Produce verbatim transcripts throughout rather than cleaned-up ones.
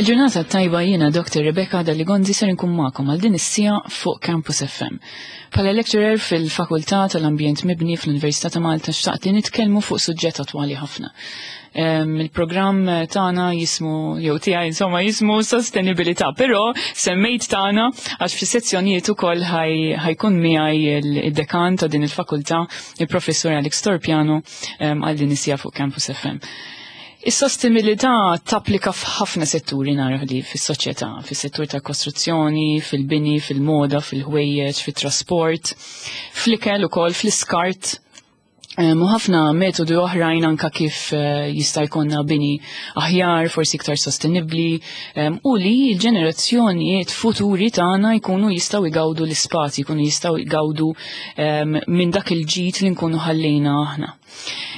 Il-ġurnata tajba, jiena Doctor Rebecca Dalli Gonzi, ser nkun magħkom għal din is-siegħa fuq Campus F M. Bħala lecturer fil-Fakultà tal-Ambjent Mibni fl-Università ta' Malta, xtaqt li nitkellmu fuq suġġett attwali ħafna. Il-programm tagħna jismu, jew tiegħi insomma, jismu sostenibilità, però semmejt tagħna għax fis-sezzjonijiet ukoll ħa jkun miegħi il-dekan ta' din il-fakultà, il-Professur Alex Torpiano, għal din is-siegħa fuq Campus F M. Is-sostenibilità tapplika f'ħafna setturi, naraw li fis-soċjetà, fis-settur ta' kostruzzjoni, fil-bini, fil-moda, fil-ħwejjeġ, fit-trasport, fl-ikel ukoll, fl-iskart. U ħafna metodi oħrajn anka kif eh, jista' jkollna bini aħjar, forsi iktar sostenibbli, u li l-ġenerazzjonijiet futuri tagħna jkunu jistgħu jgawdu l-ispazji, jkunu jistgħu jgawdu minn dak il-ġid li nkunu ħallejna aħna.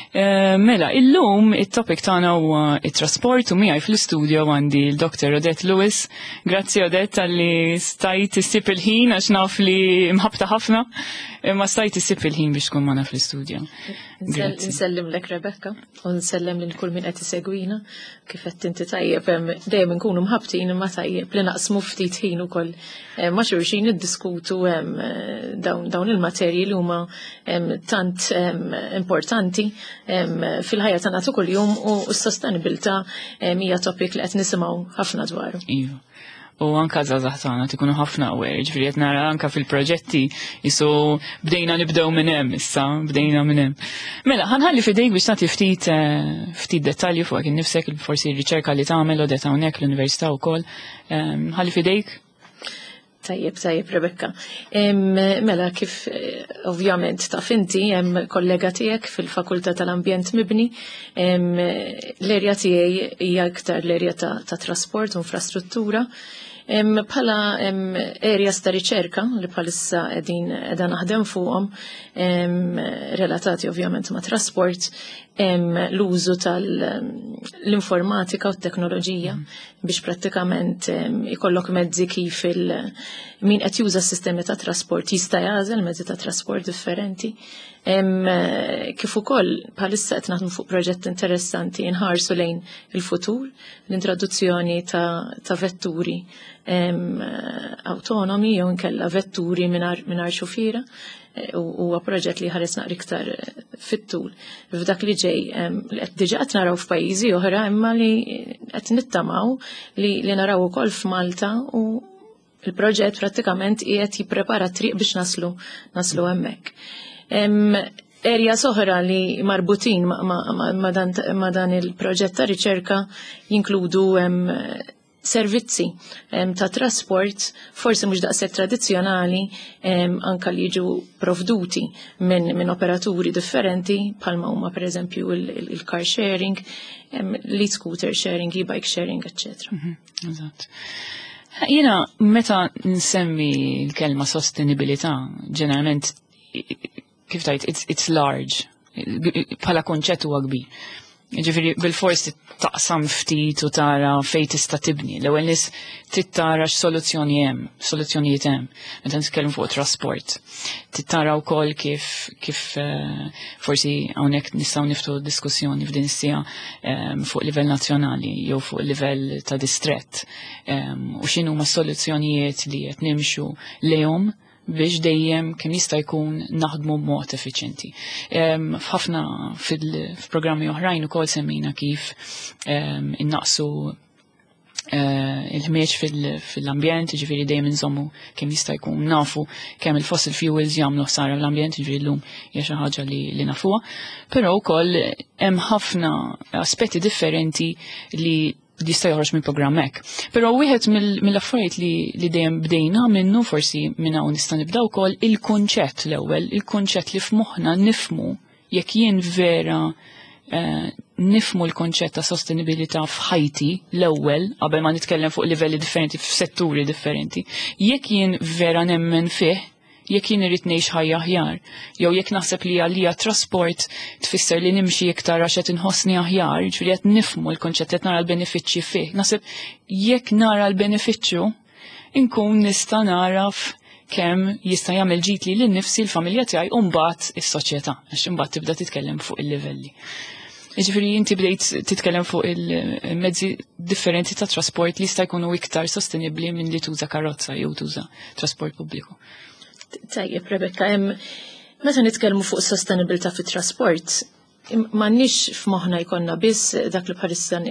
Eh, mela, illum it-topic tagħna huwa it-trasport u miegħi fl-istudio għandi l-Doctor Odette Lewis. Grazzi, Odette, talli stajt issib il-ħin, għax naf li mħabta ħafna, imma stajt issib il-ħin biex tkun magħna fl-istudio. Nsellimlek, Rebecca, u nsellem lil kull min qed isegwina. Kif qed inti tajjeb, dejjem nkunu mħabtin, imma tajjeb li naqsmu ftit ħin ukoll ma' xulxin, niddiskutu dawn il-materji li huma tant importanti fil-ħajja tagħna ta' kuljum, u s-sostenibilità hija topic li qed nisimgħu ħafna dwaru. Iva. U anka żgħażagħ tagħna tikunu ħafna aware, ġifieri qed nara anka fil-proġetti jisu bdejna nibdew minn hemm issa, bdejna minn hemm. Mela, ħa nħalli f'idejk biex tagħti ftit eh, ftit dettalji fuq innifsek, forsi r-riċerka li tagħmel, Odette, hawnhekk l-università wkoll. Ħalli f'idejk. Tajjeb, tajjeb, Rebecca. Mela, kif eh, ovvjament taf inti, hemm kollega tiegħek fil-Fakultà tal-Ambjent Mibni, l-erja tiegħi hija iktar l-erja ta', ta trasport u infrastruttura. Bħala areas ta' riċerka li bħalissa qegħdin qiegħda naħdem fuqhom, relatati ovvjament ma' trasport, l-użu tal-informatika u t-teknoloġija mm. biex prattikament ikollok mezzi kif il min qed juża s-sistemi ta' trasport jista' jagħżel mezzi ta' trasport differenti. Kif ukoll bħalissa qed naħdmu fuq proġett interessanti nħarsu lejn il-futur, l-introduzzjoni ta', ta vetturi autonomi jew inkella vetturi mingħajr xufiera, huwa proġett li ħares naqra iktar fit-tul. F'dak li ġej, li qed diġà qed naraw f'pajjiżi oħra, imma li qed nittamaw li, li naraw ukoll f'Malta, u il-proġett prattikament qiegħed jipprepara triq biex naslu naslu hemmhekk. Erja oħra li marbutin ma, ma, ma, ma, dan, ma dan il-proġett ta' riċerka jinkludu servizzi ta' trasport forsi mhux daqshekk tradizzjonali, anka li jiġu provduti minn min operaturi differenti, bħalma huma pereżempju il-car sharing, l-scooter sharing, e-bike sharing, eccetera. Mhm, eżatt. Jiena meta nsemmi l-kelma sostenibilità, ġeneralment, kif tajt, it's, it's large, bħala konċett huwa kbir. Ġifieri, bil-fors taqsam ftit u tara fej tista' tibni. L-ewwel nies trid tara x'soluzzjoni hemm, soluzzjonijiet hemm. Meta nitkellem fuq trasport. Trid tara wkoll kif kif eh, forsi hawnhekk nistgħu niftu diskussjoni f'din is-siegħa eh, fuq livell nazzjonali jew fuq livell ta' distrett. Eh, u x'inhuma soluzzjonijiet li qed nimxu lejhom biex dejjem kemm jista' jkun naħdmu b'mod effiċjenti. F'ħafna fil-programmi oħrajn ukoll semmejna kif innaqsu eh, il-ħmieġ fil-ambjent, ġifieri dejjem nżommu kemm jista' jkun, nafu kemm il-fossil fuels jagħmlu ħsara l-ambjent, ġifieri llum hija xi ħaġa li, li nafuha. Però wkoll hemm ħafna aspetti differenti li jista' joħroġ minn programm hekk. Però wieħed mill-affarijiet li, li dejjem bdejna minnu, forsi minn hawn nista' nibda wkoll, il-kunċett l-ewwel, il-kunċett li f'moħħna nifmu jekk jien vera eh, nifmu l-konċett ta' sostenibilità f'ħajti l-ewwel, qabel ma nitkellem fuq livelli differenti f'setturi differenti, jekk jien vera nemmen fih, jekk jien irrid ngħix ħajja aħjar, jew jekk naħseb li għalija trasport tfisser li nimxi iktar għax qed inħossni aħjar, ġifieri qed nifmu l-konċett, qed nara l-benefiċċji fih. Naħseb jekk nara l-benefiċċju, inkun nista' naraf kemm jista' jagħmel ġid li lil nifsi, l-familja tiegħi u mbagħad is-soċjetà, għax imbagħad tibda titkellem fuq il-livelli. Jiġifieri inti bdejt titkellem fuq il-mezzi differenti ta' trasport li jista' jkunu iktar sostenibbli minn li tuża karozza jew tuża trasport pubbliku. Tajjeb, Rebecca, meta nitkellmu fuq sostenibilità fit-trasport, m'għandniex f'moħħna jkollna biss dak li bħalissa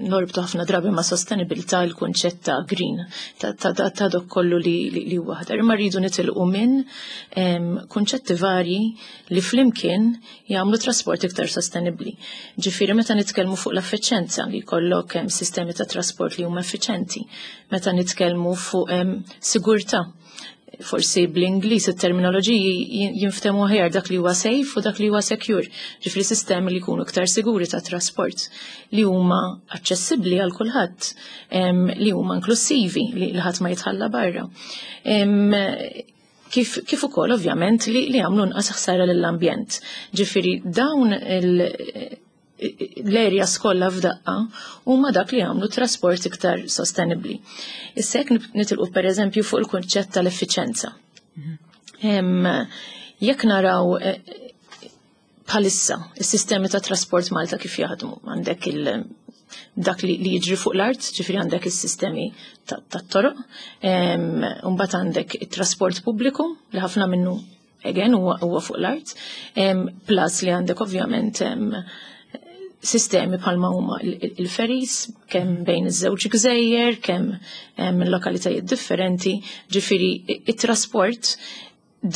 norbtu ħafna drabi ma' sostenibilità, il-kunċett ta' green, ta' dok kollu li huwa aħdar. Imma rridu nitilqu minn kunċetti varji li flimkien jagħmlu trasport iktar sostenibbli. Ġifieri meta nitkellmu fuq l-effiċenza, li jkollok sistemi ta' trasport li huma effiċenti, meta nitkellmu fuq sigurtà, forsi bl-Ingliż it-terminoloġiji jinftemu aħjar, dak li huwa safe u dak li huwa secure. Ġifieri sistemi li jkunu iktar siguri ta' trasport, li huma aċċessibbli għal kulħadd, li huma inklusivi, li ħadd ma jitħalla barra. Kif, kif ukoll ovvjament li, li għamlu nqas ħsara lill-ambjent. Ġifieri dawn l-areas kollha f'daqqa huma dak li jagħmlu trasport iktar sostenibbli. Issa jekk nitilqu pereżempju fuq il-kunċett tal-effiċenza. Jekk naraw eh, bħalissa is-sistemi ta' trasport Malta kif jaħdmu, għandek il dak li, li jiġri fuq l-art, ġifieri għandek is-sistemi tat-toroq, mbagħad għandek it-trasport pubbliku li ħafna minnu again huwa fuq l-art, plus li għandek ovvjament sistemi bħalma huma il-ferries, kemm bejn iż-żewġ gżejjer, kemm minn lokalitajiet differenti, ġifieri it-trasport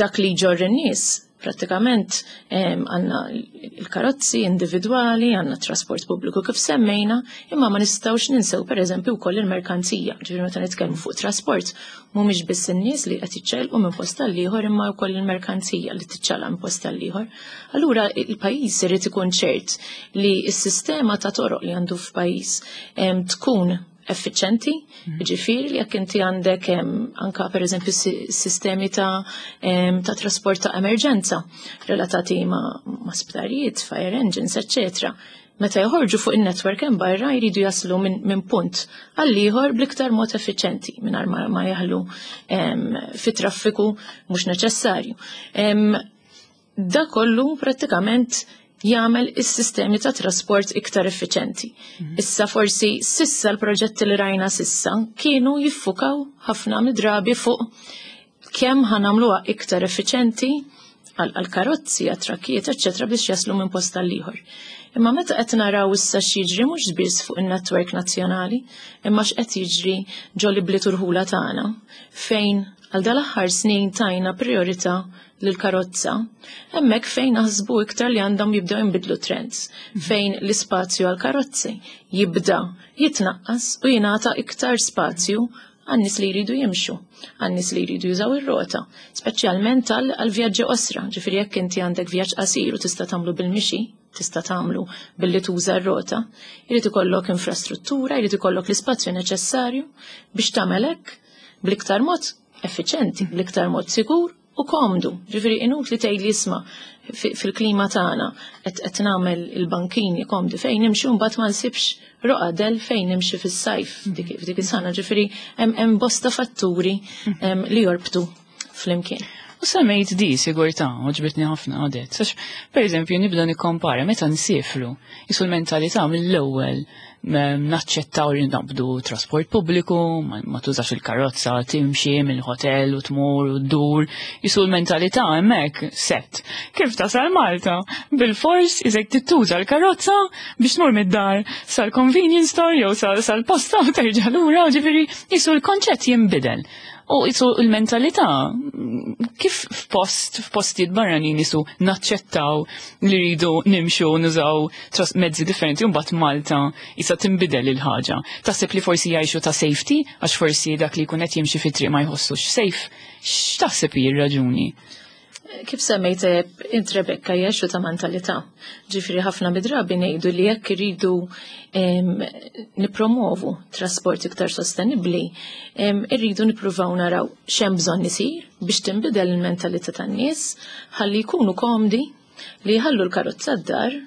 dak li jġorr in-nies prattikament għandna il-karozzi individwali, għandna trasport pubbliku kif semmejna, imma ma nistgħux ninsew pereżempju wkoll il-merkanzija. Ġifieri meta nitkellmu fuq trasport, mhumiex biss in-nies li qed jiċċaqilqu minn post għal ieħor, imma wkoll il-merkanzija li tiċċaqlaq minn post għal ieħor. Allura il-pajjiż irid ikun ċert li s-sistema ta' toroq li għandu f'pajjiż tkun effiċenti, mhm. ġifieri li jekk inti għandek anka per eżempju sistemi ta', ta' trasport ta' emerġenza relatati ma', ma' sptarijiet, fire engines, eccetera. Meta joħorġu fuq il-network hemm barra, jridu jaslu minn min punt għal ieħor bl-iktar mod effiċenti mingħajr ma, ma jaħlu fi traffiku mhux neċessarju. Da kollu prattikament jagħmel is-sistemi ta' trasport iktar effiċenti. Mhm. Issa forsi sissa l-proġetti li rajna sissa kienu jiffukaw ħafna mid-drabi fuq kemm ħa nagħmluha iktar effiċenti għal-karozzi, għat-trakkijiet, eċċetera, biex jaslu minn post għal ieħor. Imma meta qed naraw issa x'jiġri mhux biss fuq in-netwerk nazzjonali, imma x'qed jiġri ġol-ibliet u rħula tagħna, fejn għal dal-aħħar snin tajna priorità lill-karozza, hemmhekk fejn naħsbu iktar li għandhom jibdew jinbidlu trends, fejn l-ispazju għal karozzi jibda jitnaqqas u jingħata iktar spazju għan-nies li jridu jimxu, għan-nies li jridu jużaw ir-rota, speċjalment għal vjaġġi qosra, ġifieri jekk inti għandek vjaġġ qasir u tista' tagħmlu bil-mixi, tista' tagħmlu billi tuża r-rota, jrid ikollok infrastruttura, jrid ikollok l-ispazju neċessarju biex tagħmel hekk bl-iktar mod effiċenti, bl-iktar mod sigur u komdu. Ġifieri inutli tgħid li isma' fil-klima tagħna qed qed nagħmel il-bankini komdi fejn nimxi, mbagħad ma nsibx roqgħa del fejn nimxi fis-sajf dik f'dik is-sana. Ġifieri hemm bosta fatturi li jorbtu flimkien. U semmejt di sigurtà, għoġbitni ħafna għadet. Sax, per eżempju, nibda nikkompara meta nsifru, jisu l-mentalità mill-ewwel naċċettaw li naqbdu trasport pubbliku, ma tużax il-karozza, timxi mill-hotel u tmur u ddur, jisu l-mentalità hemmhekk set. Kif tasal Malta? Bil-fors iżek tittuża l-karozza biex tmur mid-dar sal-convenience store jew sal-posta u terġa' lura, ġifieri jisu l-konċett jinbidel. U jisu il-mentalità, kif f'post, f'postijiet barranin jisu naċċettaw li rridu nimxu nużaw mezzi differenti, u mbagħad Malta jisa tinbidel il-ħaġa? Taħseb li forsi jgħixu ta' safety, għax forsi dak li jkun qed jimxi fit-triq ma jħossux safe? X'taħseb hi r-raġuni? Kif semmejt int, Rebecca, jgħixu ta' mentalità. Ġifieri ħafna midrabi ngħidu li jekk iridu nipromovu trasport iktar sostenibbli, irridu nippruvaw naraw x'hemm bżonn isir biex tinbidel il-mentalità tan-nies ħalli jkunu komdi li jħallu l-karozza d-dar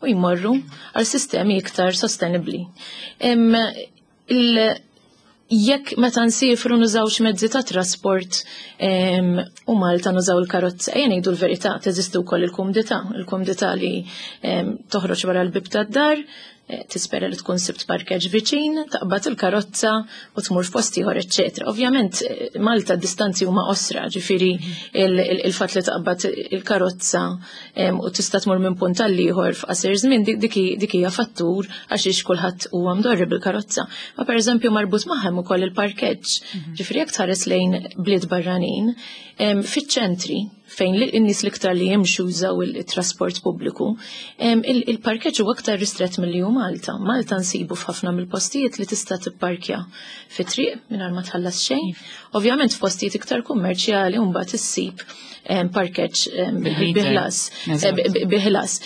u jmorru għal sistemi iktar sostenibbli. Jekk meta nsifru nużawx mezzi ta' trasport u Malta nużaw il-karozza, ejja ngħidu l-verità, teżisti wkoll il-kumdità, il-kumdità li toħroġ wara l-bib tad-dar, tispera li tkun sibt parkeġġ viċin, taqbad il-karozza u tmur f'post ieħor, eċċetera. Ovvjament Malta d-distanzi huma qosra, ġifieri il-fatt li taqbad il-karozza u tista' tmur minn punt għal ieħor f'qasir żmien, dik hija fattur għax kulħadd huwa mdorri bil-karozza. Ma pereżempju marbut magħhom ukoll il-parkeġġ. Ġifieri jekk tħares lejn bliet barranin, fiċ-ċentri fejn in-nies l-iktar li jimxu jużaw il-trasport pubbliku, il-parkeġġ huwa aktar ristret milli hu Malta. Malta nsibu f'ħafna mill-postijiet li tista' tipparkja fi triq mingħajr ma tħallas xejn. Ovvjament f'postijiet iktar kummerċjali mbagħad issib parkeġġ biħlas. Biħlas.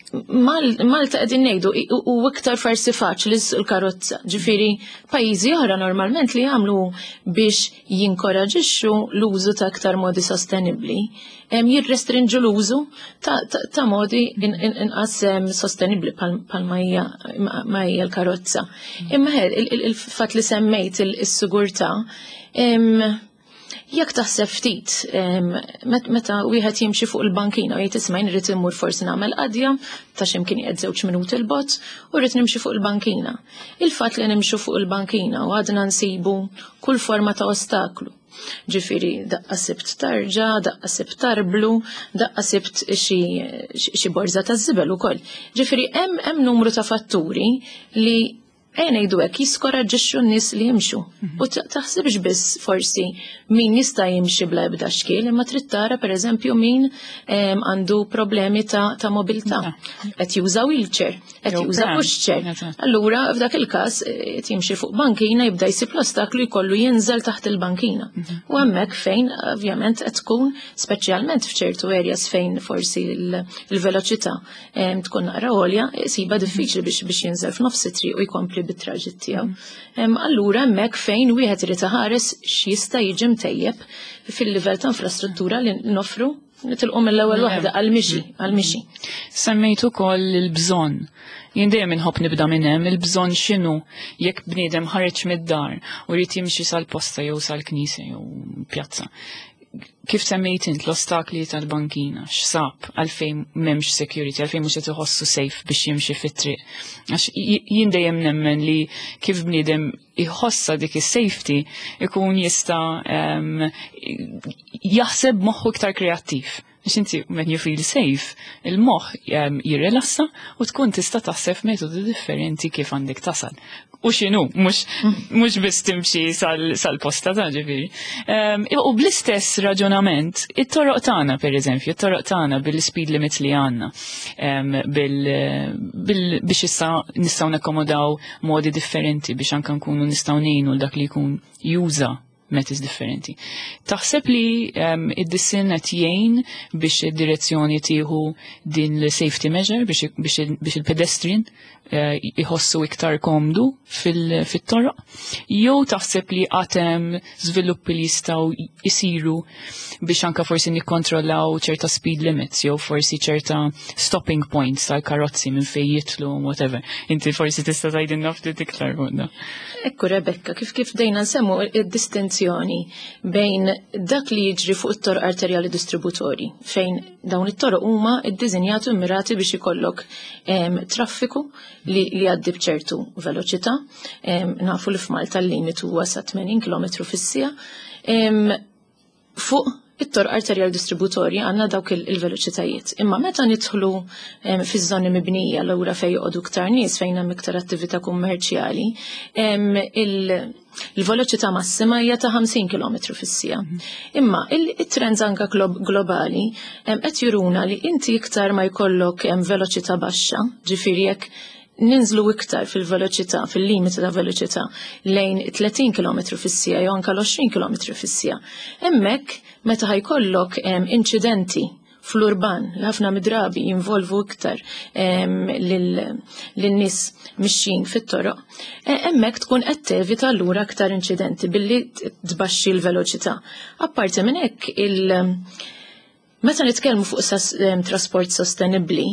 Malta qegħdin ngħidu u iktar forsi faċli l-karozza. Ġifieri pajjiżi oħra normalment li jagħmlu biex jinkoraġixxu l-użu ta' aktar modi sostenibbli, jirrestrinġu l-użu ta' modi inqas sostenibbli bħal ma hija l-karozza. Imma il-fatt li semmejt is-sigurtà, jekk taħseb ftit, meta wieħed jimxi fuq il-bankina u jgħid, "Isma', jien immur forsi nagħmel qadja ta' x'imkien qiegħed żewġ minuti 'l bogħod u rrid nimxi fuq il-bankina." Il-fatt li nimxu fuq il-bankina u għadna nsibu kull forma ta' ostaklu. Ġifieri, daqqa sibt tarġa, daqqa sibt tarblu, daqqa sibt xi borza ta' żibel ukoll. Ġifieri, hemm hemm numru ta' fatturi li, ejja ngħidu hekk, jiskoraġġixxu n-nies li jimxu. Mhm. U taħsibx biss forsi min jista' jimxi bla ebda xkiel, imma trid tara pereżempju min għandu problemi ta', ta mobilità. Qed juża wheelchair, qed juża pushchair. Allura f'dak il-każ qed jimxi fuq bankina, jibda jsib l-ostaklu, jkollu jinżel taħt il-bankina. Mhm. U hemmhekk fejn ovvjament qed tkun, speċjalment f'ċertu areas fejn forsi il-veloċità tkun naqra għolja, isiba diffiċli biex biex jinżel f'nofs it-triq u jkompli bit-traġitt tiegħu. Allura hemmhekk fejn wieħed irid iħares x'jista' jiġi mtejjeb fil-livell ta' infrastruttura li nofru, nitilqu mill-ewwel waħda għal-mixi, għal-mixi. Semmejt ukoll il-bżonn. Jien dejjem inħobb nibda minn hemm, il-bżonn x'inhu? Jekk bniedem ħareġ mid-dar u jrid jimxi sal-posta jew sal-knisja jew pjazza, kif semmejt int l-ostakli tal-bankina, x'sab, għalfejn m'hemmx security, għalfejn mhux qed iħossu safe biex jimxi fit-triq? Għax jien dejjem nemmen li kif bniedem iħossa dik is-safety ikun jista' jaħseb moħħu iktar kreattiv. Għax inti when you feel safe, il-moħħ jirrelassa u tkun tista' taħseb metodi differenti kif għandek tasal. U x'inhu, mhux biss timxi sal-posta ta' ġifieri. U bl-istess raġunament, it-toroq tagħna pereżempju, it-toroq tagħna bil-speed limits li għandna, biex issa nistgħu nakkomodaw modi differenti biex anke nkunu nistgħu ngħinu dak li jkun juża methods differenti. Taħseb li um, id-disinn qed jgħin biex id-direzzjoni tieħu din l-safety measure biex, biex, biex il-pedestrian uh, iħossu iktar komdu fil-toroq? Jew taħseb li għad hemm żviluppi li jistgħu jisiru biex anka forsi nikkontrollaw ċerta speed limits jew forsi ċerta stopping points tal-karozzi minn fejn jitlu, whatever? Inti forsi tista' tgħidilna ftit iktar fuq. Ekku Rebecca, kif kif dejna nsemmu id-distinzjoni bejn dak li jiġri fuq it-toroq arterjali distributori, fejn dawn it-toroq huma iddiżinjati u mirati biex ikollok traffiku li, li għaddi bċertu veloċità. Nafu li f'Malta l-limitu huwa sa tmenin kilometru fis-siegħa. Fuq it-toroq arterjal distributorji għandna dawk il-veloċitajiet. Imma meta nidħlu fiż-żoni mibnija, l fejn joqogħdu iktar nies, fejn hemm iktar attività kummerċjali, il-veloċità massima hija ta' ħamsin kilometru fis-siegħa. Mhm. Imma il-trends anka globali qed juruna li inti iktar ma jkollok veloċità baxxa, ġifieri jekk ninżlu iktar fil-veloċità, fil-limiti ta' veloċità lejn tletin kilometru fis-siegħa jew anke l-għoxrin kilometru fis-siegħa. Hemmhekk meta ħa jkollok inċidenti fl-urban li ħafna midrabi jinvolvu iktar lin-nies mixjin fit-toroq, e, hemmhekk tkun qed tevita allura aktar inċidenti billi tbaxxi l-veloċità. Apparti minn hekk, il- Meta nitkellmu fuq trasport sostenibbli,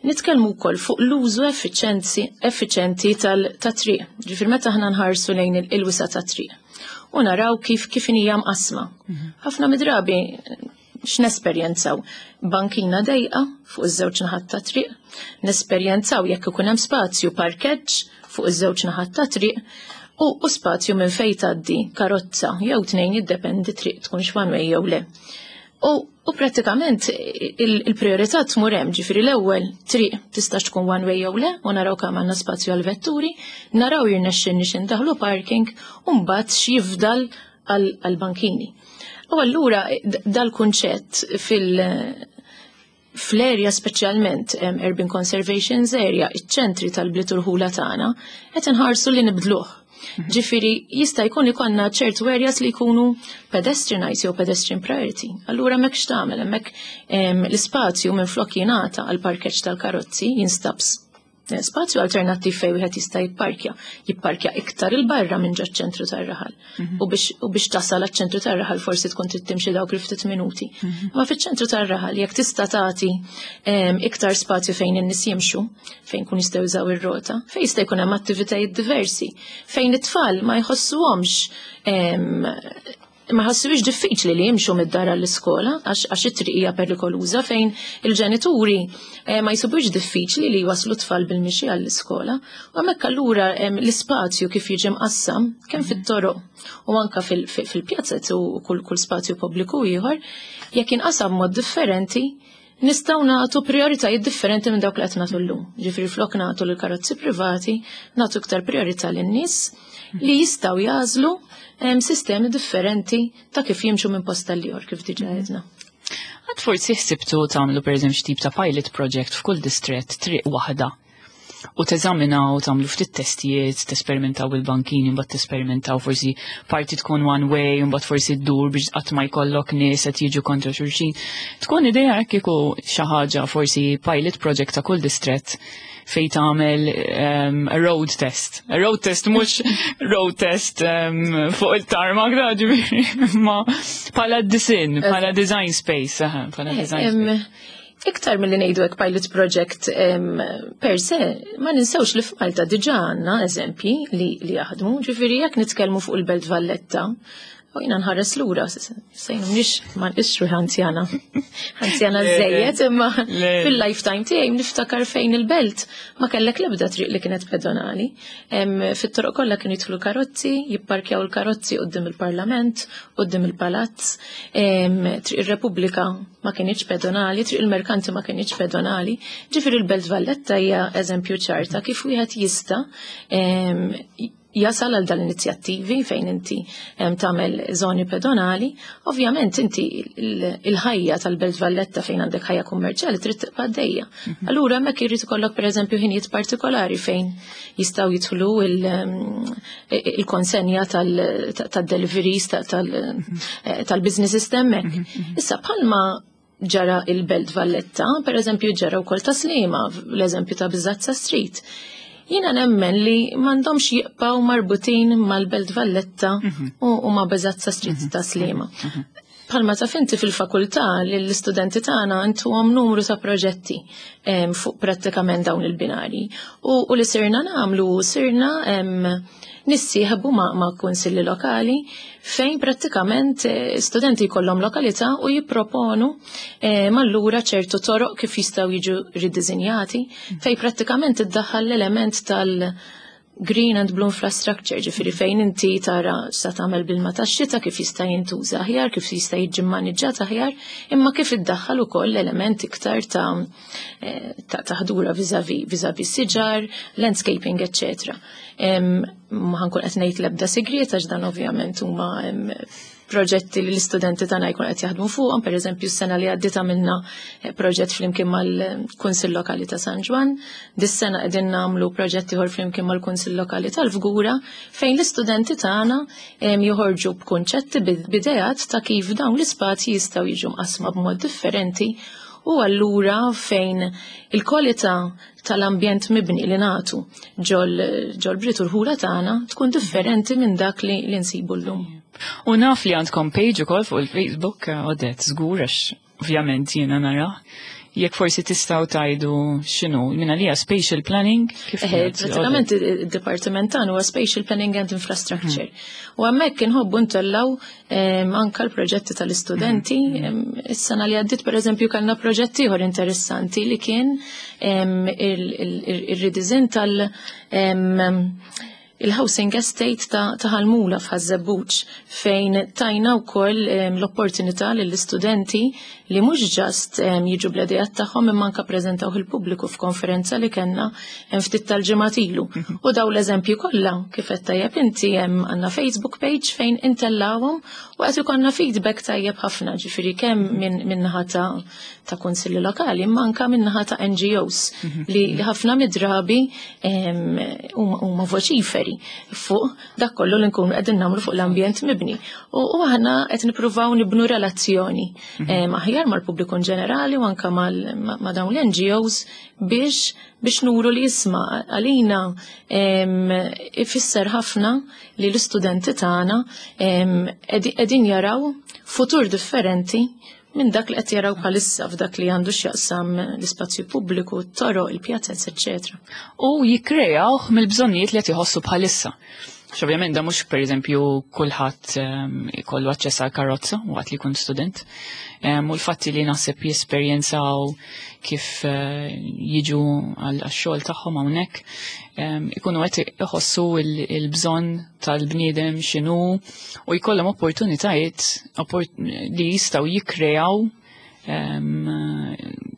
nitkellmu wkoll fuq l-użu effiċenti tal-triq. Ġifieri meta aħna nħarsu lejn il-wisa tat-triq u naraw kif kif hija mqasma. Mhm. Ħafna midrabi x'nesperjenzaw? Bankina dejqa fuq iż-żewġ naħat ta' triq, nesperjenzaw jekk ikun hemm spazju parkeġġ fuq iż-żewġ naħat ta' triq u, u spazju minn fejn tgħaddi karozza jew tnejn, jiddependi triq tkunx one way jew le. U, u prattikament il-priorità tmur hemm, ġifieri l-ewwel triq tista' tkun one way jew le, u naraw kemm għandna spazju għal vetturi, naraw jirnexxinni x'indaħlu parking u mbagħad x'jifdal għal-bankini. U allura dal-kunċett fil- fl-area speċjalment Urban Conservation Area, iċ-ċentri tal-bliet u rħula tagħna, qed inħarsu li nibdluh. Mhm. Ġifieri jista' jkun ikollna ċertu areas li jkunu pedestrianized jew pedestrian priority. Allura hemmhekk x'tagħmel? Hemmhekk l-ispazju minn flok jingħata għal parkeġġ tal-karozzi jinstab spazju alternattiv fejn wieħed jista' jipparkja. Jipparkja iktar il-barra minn ġo ċentru tar-raħal. Mhm. U biex u biex tasal għaċ-ċentru tar-raħal forsi tkun trid timxi dawk il ftit minuti. Mhm. Ma fiċ-ċentru tar-raħal jekk tista' tagħti iktar spazju fejn in-nies jimxu, fejn kun jistgħu jużaw ir-rota, fejn jista' jkun hemm attivitajiet diversi, fejn it-tfal ma jħossuhomx ma ħassuwix diffiċli li jimxu mid-dar għall-iskola għax it-triq hija perikoluża, fejn il-ġenituri eh, ma jsibux diffiċli li jwaslu tfal bil-mixi għall-iskola. U hemmhekk allura l-ispazju kif jiġi mqassam kemm mhm. fit-toroq u anka fil-pjazzet u kull kull spazju pubbliku ieħor, jekk inqasam mod differenti, nistgħu nagħtu prioritajiet differenti minn dawk li qed nagħtu llum. Ġifieri flok nagħtu lil karozzi privati, nagħtu iktar priorità lin-nies li jistgħu jagħżlu sistemi differenti ta' kif jimxu minn post għal kif diġà għedna. Għad forsi ħsibtu tagħmlu, per eżempju, tip ta' pilot project f'kull distret, triq waħda, u teżaminaw, tagħmlu ftit testijiet, tesperimentaw bil-bankini, mbagħad tesperimentaw forsi parti tkun one way, mbagħad forsi ddur biex qatt ma jkollok nies qed jiġu kontra xulxin? Tkun idea hekk kieku xi ħaġa, forsi pilot project ta' kull distret fej tagħmel um, a road test. A road test mhux road test um, fuq il-tarmac da ġifieri, ma bħala design, bħala design space, bħala design space. Iktar mill-li ngħidu hekk pilot project um, per se, ma ninsewx li f'Malta diġà għandna eżempji li, li jaħdmu, ġifieri jekk nitkellmu fuq il-Belt Valletta, u jiena nħares lura, sejn mhix ma nqisx anzjana. Anzjana żejjed, imma fil-lifetime tiegħi niftakar fejn il-belt ma kellek l-ebda triq li kienet pedonali. Fit-toroq kollha kienu jidħlu karozzi, jipparkjaw il-karozzi quddiem il-Parlament, quddiem il-Palazz. Triq ir-Repubblika ma kienx pedonali, Triq il-Merkanti ma kienx pedonali. Ġifieri il-Belt Valletta hija eżempju ċarta kif wieħed jista' jasal għal dal-inizjattivi fejn inti tagħmel zoni pedonali. Ovvjament inti il-ħajja tal-Belt Valletta fejn għandek ħajja kummerċjali trid tibqa' għaddejja. Mhm. Allura hemmhekk irid ikollok, pereżempju, ħinijiet partikolari fejn jistgħu jidħlu il-konsenja tal-deliveries mhm. tal-business hemmhekk. Mhm, Issa bħalma ġara il-Belt Valletta, per eżempju ġara wkoll ta' Sliema, l-eżempju ta' Bizzazza Street. Jiena nemmen li m'għandhomx jibqgħu marbutin mal-Belt Valletta mhm. u ma' Bizzazza Street mhm. ta' Sliema. Mhm. Bħalma taf inti, fil-fakultà li l-istudenti tagħna ntuhom numru ta' proġetti fuq prattikament dawn il-binari. U, u li sirna nagħmlu, sirna nissieħbu ma', ma' kunsilli lokali fejn prattikament eh, studenti jkollhom lokalità u jipproponu eh, mallura ċertu toroq kif jistgħu jiġu ridizinjati, fejn prattikament iddaħħal l-element tal- green and blue infrastructure, ġifieri fejn inti tara sa tagħmel bil-ma tax-xita, kif jista' jintuża aħjar, kif jista' jiġi mmaniġġat aħjar, imma kif iddaħħal ukoll element iktar ta' eh, ta' taħdura vis-a-vis vis-a-vis siġar, landscaping, eccetera. Ma ħa nkun qed ngħid l-ebda sigriet għax dan ovvjament huma proġetti li l-istudenti tagħna jkun qed jaħdmu fuqhom. Pereżempju s-sena li għaddiet għamilna eh, proġett flimkien mal-Kunsill Lokali ta' San Ġwann, dis-sena qegħdin nagħmlu proġett ieħor flimkien mal-Kunsill Lokali tal-Fgura fejn l-istudenti tagħna joħorġu b'kunċetti, b'ideat ta' kif dawn l-ispazji jistgħu jiġu mqasma b'mod differenti u allura fejn il-kwalità tal-ambjent mibni li nagħtu ġol-bliet u rħula tagħna tkun differenti minn dak li, li nsibu llum. U naf li għandkom page ukoll fuq il-Facebook, Odette, żgur għax ovvjament jiena nara. Jekk forsi tistgħu tgħidu x'inhu, minna li spatial planning? Kif Pratikament id-dipartiment tagħna huwa Spatial Planning and Infrastructure. Hmm. U hemmhekk inħobbu ntellgħu anka l-proġetti tal-istudenti. Hmm. Is-sena li għaddiet, pereżempju, kellna proġett ieħor interessanti li kien il-redesign tal- il-housing estate ta' Ħal Mula f'Ħaż-Żebbuġ, fejn tajna wkoll l-opportunità lill-istudenti li mhux just jiġu bl-idejat tagħhom, imma anka preżentaw il-pubbliku f'konferenza li kellna ftit tal-ġimgħat ilu. Mhm. U daw l-eżempju kollha, kif qed tajjeb inti, hemm għandna Facebook page fejn intellawhom u qed ikollna feedback tajjeb ħafna, ġifieri kemm minn naħa ta' ta' kunsilli lokali imma anka minn naħa ta' N G Os mhm. li ħafna mid-drabi huma voċiferi fuq dak kollu li nkunu qegħdin nagħmlu fuq l-ambjent mibni. U aħna qed nippruvaw nibnu relazzjoni mhm. aħjar mal-pubbliku ġenerali u anka ma' dawn l-N G Os biex biex nuru li jisma' għalina ifisser ħafna li l-istudenti tagħna qegħdin jaraw futur differenti minn dak li qed jaraw bħalissa f'dak li għandu x'jaqsam l-ispazju pubbliku, t-toroq, il-pjazez, eċċetera. U jikkrejaw mill-bżonnijiet li qed iħossu bħalissa. Ovvjament da mhux, pereżempju, kulħadd ehm, ikollu aċċess għal karozza waqt li jkun student. Ehm, u l-fatti li naħseb jesperjenzaw kif eh, jiġu għal xogħol tagħhom hawnhekk ehm, ikunu qed iħossu il-bżonn tal-bniedem x'inhu u jkollhom opportunitajiet li jistgħu jikkrejaw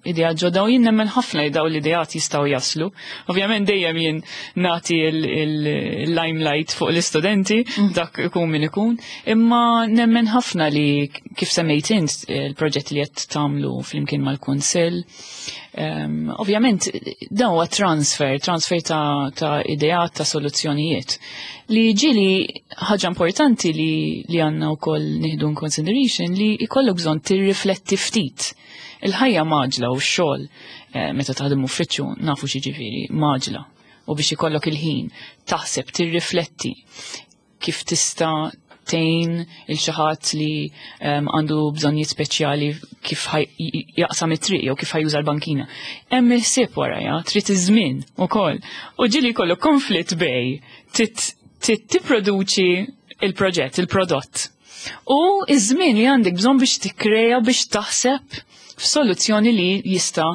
idea ġodda, u jien nemmen ħafna li daw l-ideat jistgħu jaslu. Ovvjament dejjem jien nagħti il-limelight fuq l-istudenti, mm. dak ikun min ikun, imma nemmen ħafna li, kif semmejt int, il-proġett li qed tagħmlu flimkien mal-Kunsill. Um, ovvjament dan huwa transfer, transfer ta', ta ideat, ta' soluzzjonijiet. Li ġili ħaġa importanti li, li għandna wkoll nieħdu in consideration li jkollok bżonn tirrifletti ftit. Il-ħajja mgħaġġla u x-xogħol, eh, meta taħdem uffiċċju nafu x'jiġifieri mgħaġġla, u biex ikollok il-ħin taħseb, tirrifletti kif tista' tgħin lil xi ħadd li għandu bżonnijiet speċjali kif jaqsam it-triq jew kif ħa juża l-bankina. Hemm il-ħsieb warajha, trid iż-żmien ukoll. U ġieli jkollu konflitt bejn tipproduċi il-proġett, il-prodott. U iż-żmien li għandek bżonn biex tikkreja, biex taħseb f'soluzzjoni li jista'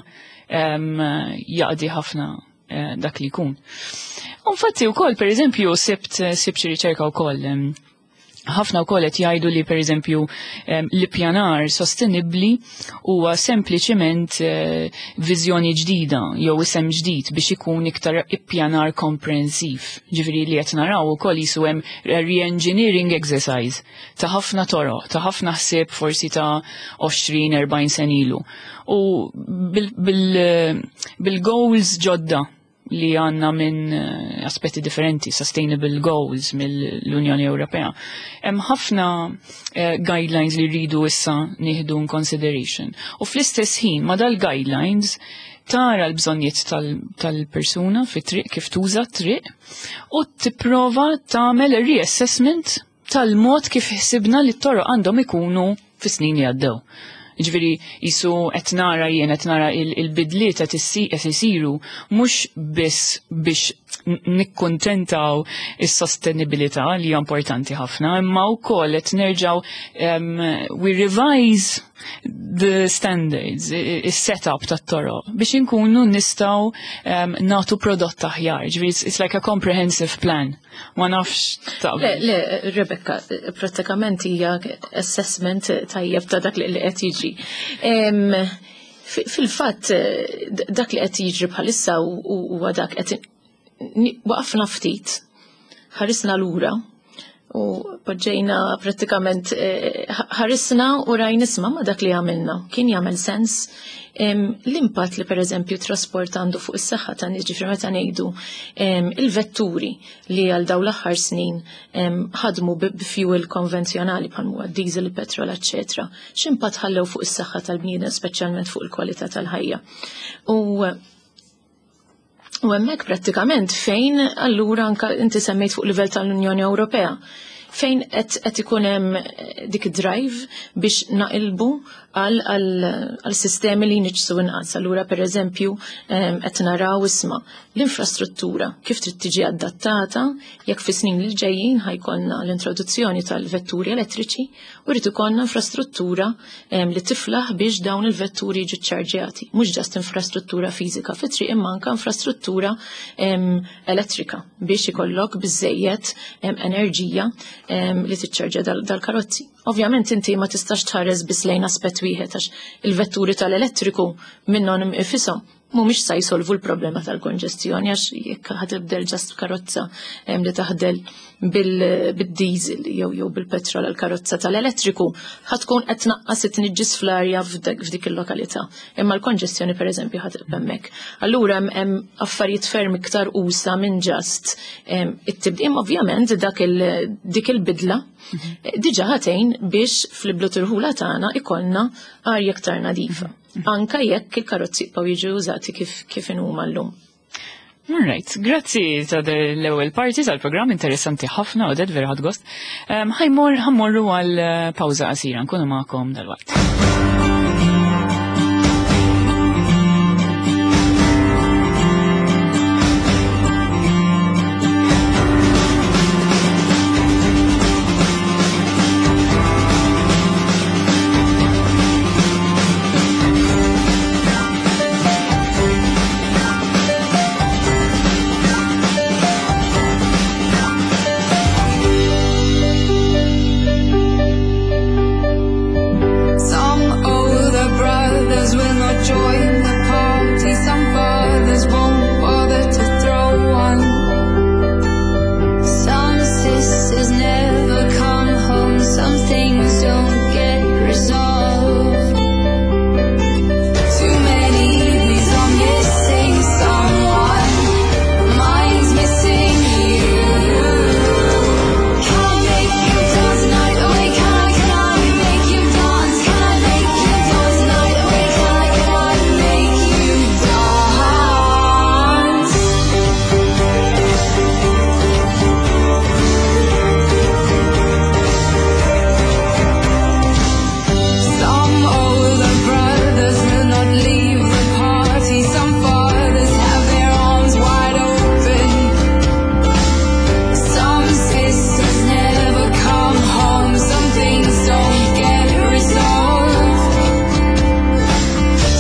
jaqdi ħafna eh, dak li jkun. Infatti wkoll, pereżempju, sibt sibt xi riċerka wkoll, ħafna wkoll qed jgħidu li, pereżempju, l-ippjanar sostenibbli huwa sempliċement eh, viżjoni ġdida jew isem ġdid biex ikun iktar ippjanar komprensiv. Ġifieri li qed naraw ukoll jisu hemm re-engineering exercise ta' ħafna toroq, ta' ħafna ħsieb forsi ta' għoxrin erbgħin sena ilu. U bil-goals ġodda li għandna minn eh, aspetti differenti, sustainable goals mill-Unjoni Ewropea. Hemm ħafna uh, guidelines li rridu issa nieħdu in consideration. U fl-istess ħin ma dal-guidelines tara l-bżonnijiet tal-persuna fit-triq, kif tuża triq, u tipprova tagħmel reassessment tal-mod kif ħsibna li t-toroq għandhom ikunu fis-snin li għaddew. Ġifieri jisu qed nara jien qed nara il-bidliet qed isiru mhux biss biex nikkuntentaw is-sostenibilità, li hija importanti ħafna, imma wkoll qed nerġgħu um, we revise the standards, is-setup tat-toroq biex inkunu nistgħu um, nagħtu prodott aħjar. Ġifieri it's, it's like a comprehensive plan. Ma nafx. Ta' Le, le, Rebecca, pratikament hija assessment tajjeb ta' dak li qed jiġri. Fil-fatt, dak li qed jiġri bħalissa huwa dak qed waqafna ftit, ħarisna lura u poġġejna pratikament eh, ħarisna u rajna, isma', ma dak li għamilna kien jagħmel sens? L-impatt li, pereżempju, trasport għandu fuq is-saħħa ta' nies, ġifieri meta ngħidu il-vetturi li għal daw l-aħħar snin ħadmu b'fuel konvenzjonali bħal huwa diesel, petrol, eċċetera. X'impatt ħallew fuq is-saħħa tal-bniedem, speċjalment fuq il-kwalità tal-ħajja? U U hemmhekk prattikament fejn allura anka inti semmejt fuq livell tal-Unjoni Ewropea. Fejn qed ikun hemm dik drive biex naqilbu għal sistemi li jniġġsu inqas. Allura pereżempju qed naraw isma' l-infrastruttura kif trid tiġi adattata jekk fis-snin li ġejjin ħa jkollna l-introduzzjoni tal-vetturi elettriċi u rrid ikollna infrastruttura li tiflaħ biex dawn il-vetturi jiġu ċċarġjati. Mhux just infrastruttura fiżika fit-triq imma anke infrastruttura elettrika biex ikollok biżejjed enerġija li tiċċarġja dal-karozzi. Ovvjament inti ma tistax tħares biss lejn aspett wieħed għax il-vetturi tal-elettriku minnhom ifisom mhumiex sa jsolvu l-problema tal-konġestjoni għax jekk ħa tibdel just karozza li taħdem bil-diesel jew jew bil-petrol għal karozza tal-elettriku ħa tkun qed tnaqqas it-tniġġis fl-arja f'dik il-lokalità. Imma l-konġestjoni pereżempju ħa tibqa' hemmhekk. Allura hemm affarijiet ferm iktar usa minn just it-tibdil. Ovvjament dak dik il-bidla diġà ħa tgħin biex fl-iblut irħula tagħna ikollna arja iktar nadifa. Anka jekk il-karozzi jibqgħu jiġu użati kif kif inhuma llum. All right, grazzi ta' l-ewwel parti tal-programm, interessanti ħafna u vera ħadt gost. Ħa jmur ħa mmorru għal pawża qasira, nkunu magħkom dalwaqt. Some older brothers will not join the party. Some fathers won't bother to throw one. Some sisters never come home. Some things don't get resolved. Too many evenings I'm missing someone. Mine's missing you. Can I make you dance the night away? Can I, can I make you dance? Can I make you dance the night away? Can I, can I make you dance? Some older brothers will not leave the party. Some fathers have their arms wide open. Some sisters never come home. Some things don't get resolved.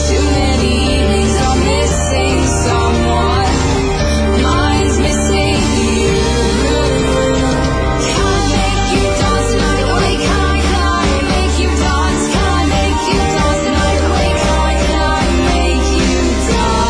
Too many evenings I'm missing someone. Mine's missing you. Can I make you dance the night away? Can I, can I make you dance? Can I make you dance the night away? Can I, can I make you dance?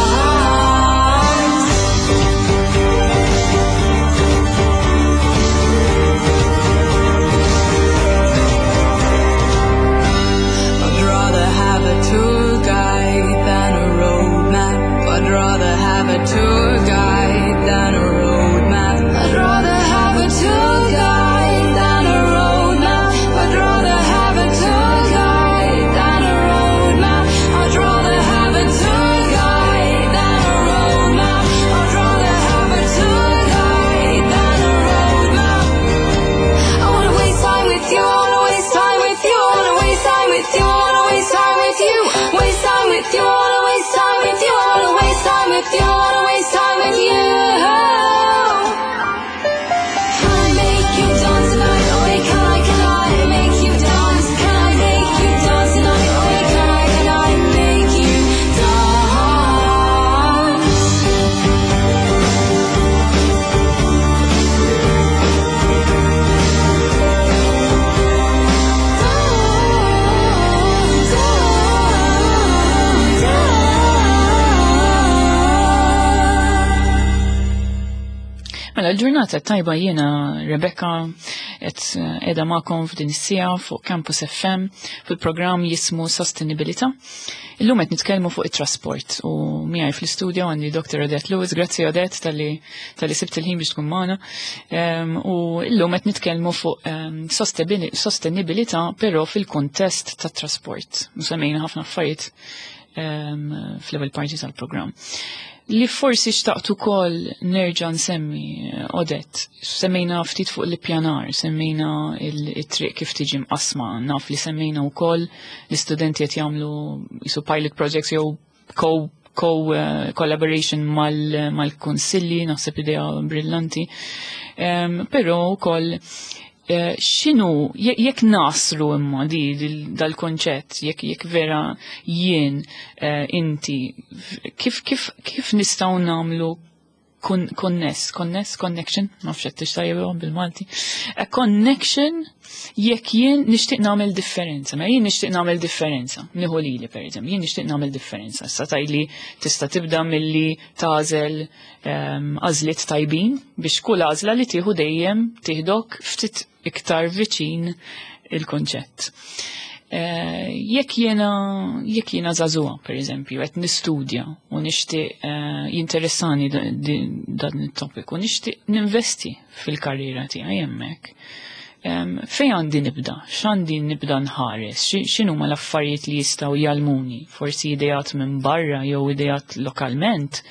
I'd rather have a tour guide than a road map. I'd rather have a tour guide than a road map. I'd rather have a tour guide than a road map. I'd rather have a tour guide than a road map. I'd rather have a tour guide than a road map. I'd rather have a tour guide than a road map. I wanna waste time with you, I wanna waste time with you, I wanna waste time with you, I wanna waste time with you, waste time with you, I wanna waste time with you, I wanna waste time with you, I wanna waste time with you. Can I make you dance the night away? Can I, can I make you dance? Can I make you dance the night away? Can I, can I make you dance? Mela, l-ġurnata tajba, jiena Rebecca et edha magħkom f'din is-siegħa fuq Campus F M fil-programm jismu Sostenibilità. Illum qed nitkellmu fuq it-trasport u miegħi fl-istudio għandi Doctor Odette Lewis. Grazzi, Odette, talli talli sibt il-ħin biex tkun magħna. Em, U illum qed nitkellmu fuq em, sostenibilità però fil-kontest tat-trasport. Semmejna ħafna affarijiet um, fl-ewwel parti tal-programm. Li forsi xtaqt ukoll nerġa' nsemmi, Odette, semmejna ftit fuq l-ippjanar, semmejna il-triq kif tiġi mqasma, naf li semmejna wkoll l-istudenti qed jagħmlu jisu pilot projects jew co co uh, collaboration mal-kunsilli, naħseb idea brillanti. Um, però wkoll uh, x'inhu jekk naslu imma di dal-konċett, jekk jekk vera jien uh, inti, kif kif kif nistgħu nagħmlu conness, conness, connection, nafx qed tixtajjeb bil-Malti. A connection jekk jien nixtieq nagħmel differenza. Ma jien nixtieq nagħmel differenza. Nieħu lili pereżempju, jien nixtieq nagħmel differenza. Sa tajli tista' tibda milli tagħżel għażliet tajbin biex kull għażla li tieħu dejjem tieħdok ftit iktar viċin il-konċett. Jekk jiena jekk jiena żagħżugħa, per eżempju, qed nistudja u nixtieq jinteressani dan it-topic u nixtieq ninvesti fil-karriera tiegħi hemmhekk. Fejn għandi nibda? X'għandi nibda nħares? X'inhuma l-affarijiet li jistgħu jgħallmuni? Forsi ideat minn barra jew ideat lokalment?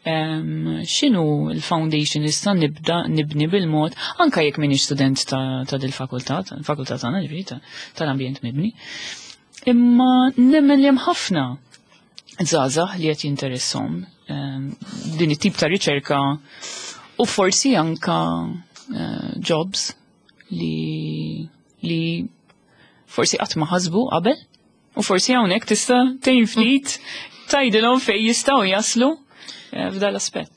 X'inhu l-foundation nista' nibda nibni bil-mod anka jekk minix student ta', ta dil-fakultà, tal-fakultà tagħna ġifieri tal-ambjent mibni. Imma nemmen li hemm ħafna żgħażagħ li qed jinteressom din it-tip ta' riċerka u forsi anka jobs li li forsi qatt ma ħasbu qabel u forsi hawnhekk tista' tgħin ftit tgħidilhom fejn jistgħu jaslu f'dal aspett.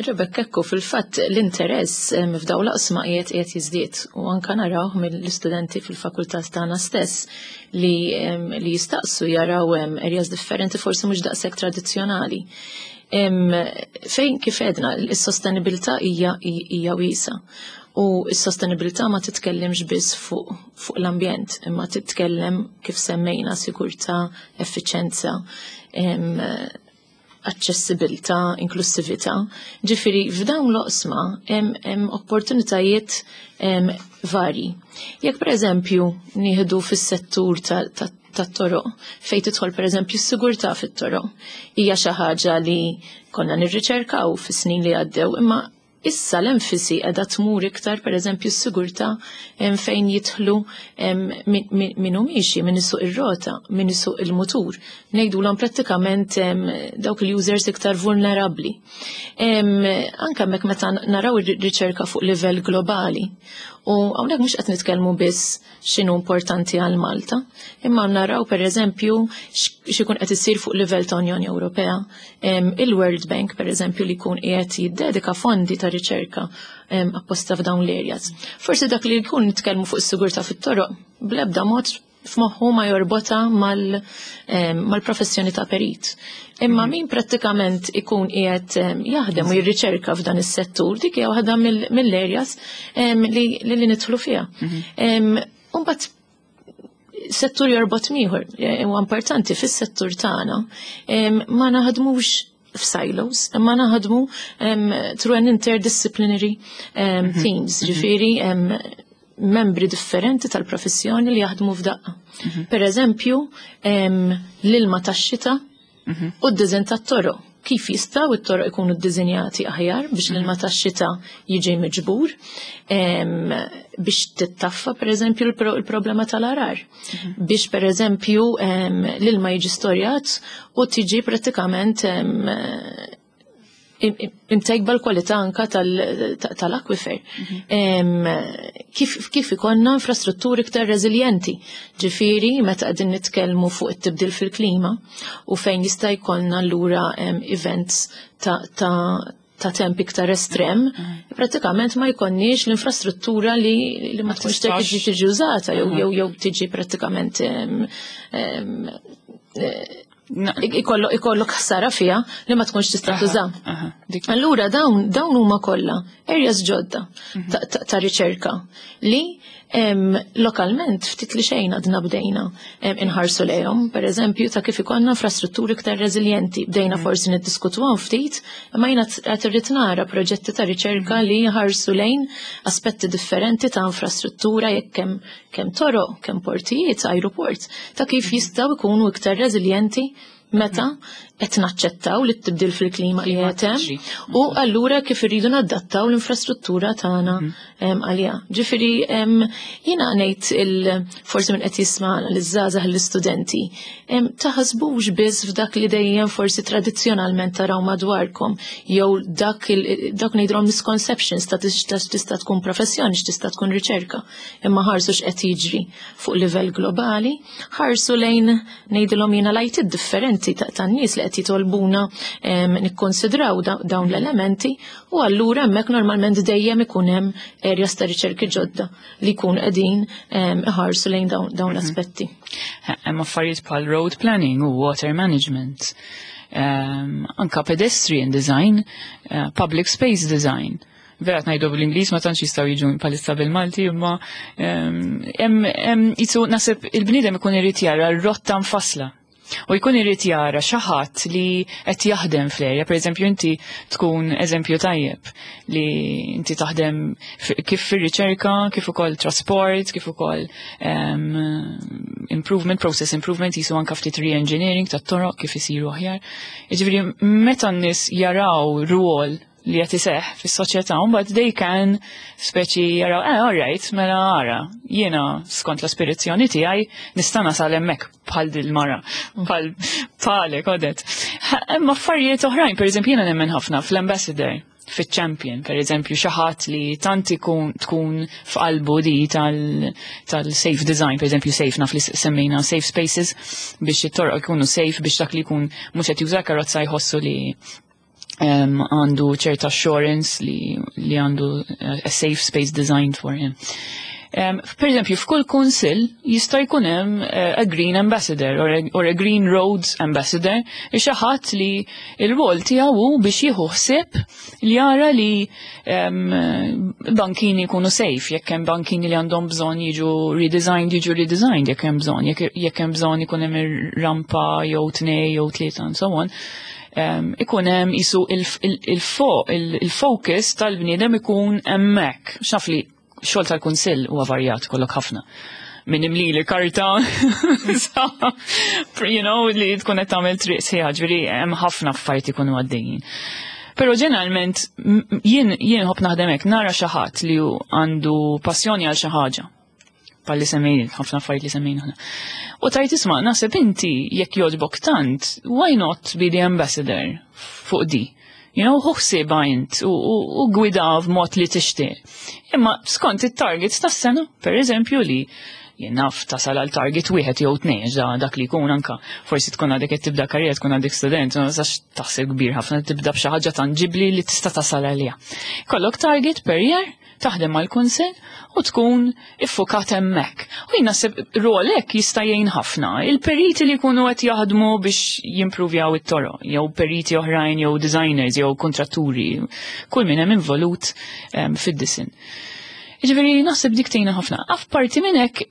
Rebecca, ekku fil-fatt l-interess f'daw l-oqsma qiegħed qiegħed jiżdied u anka naraw mill-istudenti fil-fakultà tagħna stess li li jistaqsu jaraw areas differenti forsi mhux daqshekk tradizzjonali. Fejn kif għedna, is-sostenibilità hija hija wiesa. U s-sostenibilità ma titkellimx biss fuq fuq l-ambjent, imma titkellem kif semmejna sigurtà, effiċenza, aċċessibilità, inklusività. Ġifieri f'dawn l-oqsma hemm opportunitajiet varji. Jekk pereżempju nieħdu fis-settur tat-toroq, fejn tidħol pereżempju s-sigurtà fit-toroq, hija xi ħaġa li konna nirriċerkaw fis-snin li għaddew, imma issa l-enfasi qiegħda tmur iktar pereżempju s-sigurtà fejn jidħlu min hu miexi, min isuq ir-rota, min isuq il-mutur. Ngħidulhom prattikament dawk il-users iktar vulnerabbli. Anke hemmhekk meta naraw ir-riċerka fuq livell globali. U hawnhekk mhux qed nitkellmu biss x'inhu importanti għal Malta, imma naraw pereżempju x'ikun qed isir fuq livell ta' Unjoni Ewropea. Il-World Bank pereżempju li jkun qiegħed jiddedika fondi ta' riċerka apposta f'dawn l-areas. Forsi dak li jkun nitkellmu fuq is-sigurtà fit-toroq bl-ebda mod f'moħħu ma jorbota mal-professjoni ta' perit. Imma min prattikament ikun qiegħed jaħdem u jirriċerka f'dan is-settur, dik hija waħda mill-areas li li nidħlu fiha. Imbagħad settur jorbot m'ieħor, huwa importanti fis-settur tagħna ma naħdmux f'silos, imma naħdmu through an interdisciplinary teams, ġifieri membri differenti tal-professjoni li jaħdmu f'daqqa. Per eżempju, l-ilma tax-xita u d-diżin tat-toroq. Kif jistgħu it-toroq ikunu ddisinjati aħjar biex l-ilma tax-xita jiġi miġbur, biex tittaffa per eżempju il-problema tal-għargħar, biex per eżempju l-ilma jiġi storjat u tiġi prattikament imtejba l-kwalità anka tal-akwifer. Kif, kif ikonna infrastrutturi iktar reżiljenti. Ġifieri, meta qegħdin nitkellmu fuq it-tibdil fil-klima u fejn jista' jkollna allura events ta', ta, ta' temp iktar estrem, pratikament ma jkollniex l-infrastruttura li, li ma tkunx tiġi tiġi użata jew jew jew tiġi pratikament ikollok ħsara fiha li ma tkunx tista' tuża. Allura dawn dawn huma kollha areas ġodda ta' riċerka li lokalment ftit li xejn għadna bdejna inħarsu lejhom, per eżempju ta' kif ikollna infrastrutturi iktar reżiljenti. Bdejna forsi niddiskutuhom ftit, imma jiena qed irrid nara proġetti ta' riċerka li jħarsu lejn aspetti differenti ta' infrastruttura jekk kemm kemm toroq, kemm portijiet, ajruport, ta' kif jistgħu jkunu iktar reżiljenti Meta qed naċċettaw li t-tibdil fil-klima li qed hemm u allura kif irridu nadattaw l-infrastruttura tagħna mhm. għaliha. Ġifieri jiena ngħid il forsi min qed jisma'na, l-żgħażagħ, l-istudenti, taħsbux biss f'dak li dejjem forsi tradizzjonalment taraw madwarkom jew dak dak ngħidulhom misconceptions ta' tista' tkun professjoni, x'tista' tkun riċerka. Imma ħarsu x'qed jiġri fuq livell globali, ħarsu lejn, ngħidilhom jiena, l-għajtiet differenti tan-nies li qed jitolbuna nikkonsidraw dawn l-elementi u allura hemmhekk normalment dejjem ikun hemm areas ta' riċerki ġodda li jkun qegħdin iħarsu lejn dawn mhm. l-aspetti. Hemm affarijiet bħal road planning u water management, um, anka pedestrian design, uh, public space design. Vera ngħidu bl-Ingliż, ma tantx jistgħu jiġu palissa bil-Malti, imma hemm jisu naħseb il-bniedem ikun irid jara r-rotta mfassla u jkun irid jara xi ħadd li qed jaħdem fl-erja, pereżempju inti tkun eżempju tajjeb li inti taħdem kif fir-riċerka, kif ukoll trasport, kif ukoll um, improvement, process improvement, jisu anka ftit re-engineering tat-toroq kif isiru aħjar. Jiġifieri meta n-nies jaraw rwol li qed iseħħ fis-soċjetà, mbagħad they can speċi jaraw, "Eh, all right, mela ara, jiena skont l-aspirazzjoni tiegħi nista' nasal hemmhekk bħal dil-mara, bħal bħalek Odette." Hemm affarijiet oħrajn, pereżempju jiena nemmen ħafna fl-ambassador, fit-champion, per eżempju, xi ħadd li tant ikun tkun f'qalbu di tal-safe design, per eżempju, safe, naf li semmejna safe spaces biex it-torq ikunu safe biex dak li jkun mhux qed juża karozza jħossu li għandu ċerta assurance li, li għandu uh, a safe space designed for him. Um, per eżempju, f'kull kunsill jista' jkun hemm uh, a green ambassador or a, or a green roads ambassador, xi ħadd li l-rwol tiegħu hu biex jieħu ħsieb li jara li um, bankini jkunu safe, jekk hemm bankini li għandhom bżonn jiġu redesigned, jiġu redesigned jekk hemm bżonn, jekk, jekk hemm bżonn ikun hemm rampa jew tnej jew tlieta and so on. Um, ikun hemm isu il-focus tal-bniedem ikun hemmhekk. X'naf li xogħol tal-kunsill huwa varjat, kollok ħafna. Min imli li karta, you know, li tkun qed tagħmel triq sħiħa, ġifieri hemm ħafna affarijiet ikunu għaddejjin. Però ġeneralment jien jien ħobb naħdem hekk, nara xi ħadd li għandu passjoni għal xi ħaġa. Palli semmejn, ħafna affarijiet li semmejn aħna. U tgħid, "Isma', naħseb inti jekk jogħġbok tant, why not be the ambassador fuq di? You know, ħu ħsiebha int u, u, u gwida f'mod li tixtieq." Imma skont it-targets tas-sena, per eżempju, li jien naf tasal għal target wieħed jew tnejn, ġa dak li jkun anka forsi tkun għadek qed tibda karriera, tkun għadek student, ma tistax taħseb kbir ħafna, tibda b'xi ħaġa tanġibli li tista' tasal għaliha. Kollok target per year, taħdem mal-kunsill u tkun iffukat hemmhekk. U jien naħseb rolek jista' jgħin ħafna. Il-periti li jkunu qed jaħdmu biex jimprovjaw it-toroq, jew periti oħrajn, jew designers, jew kontratturi, kull min hemm involut um, fid-disin. Jiġifieri naħseb dik tgħinna ħafna. Apparti minn hekk,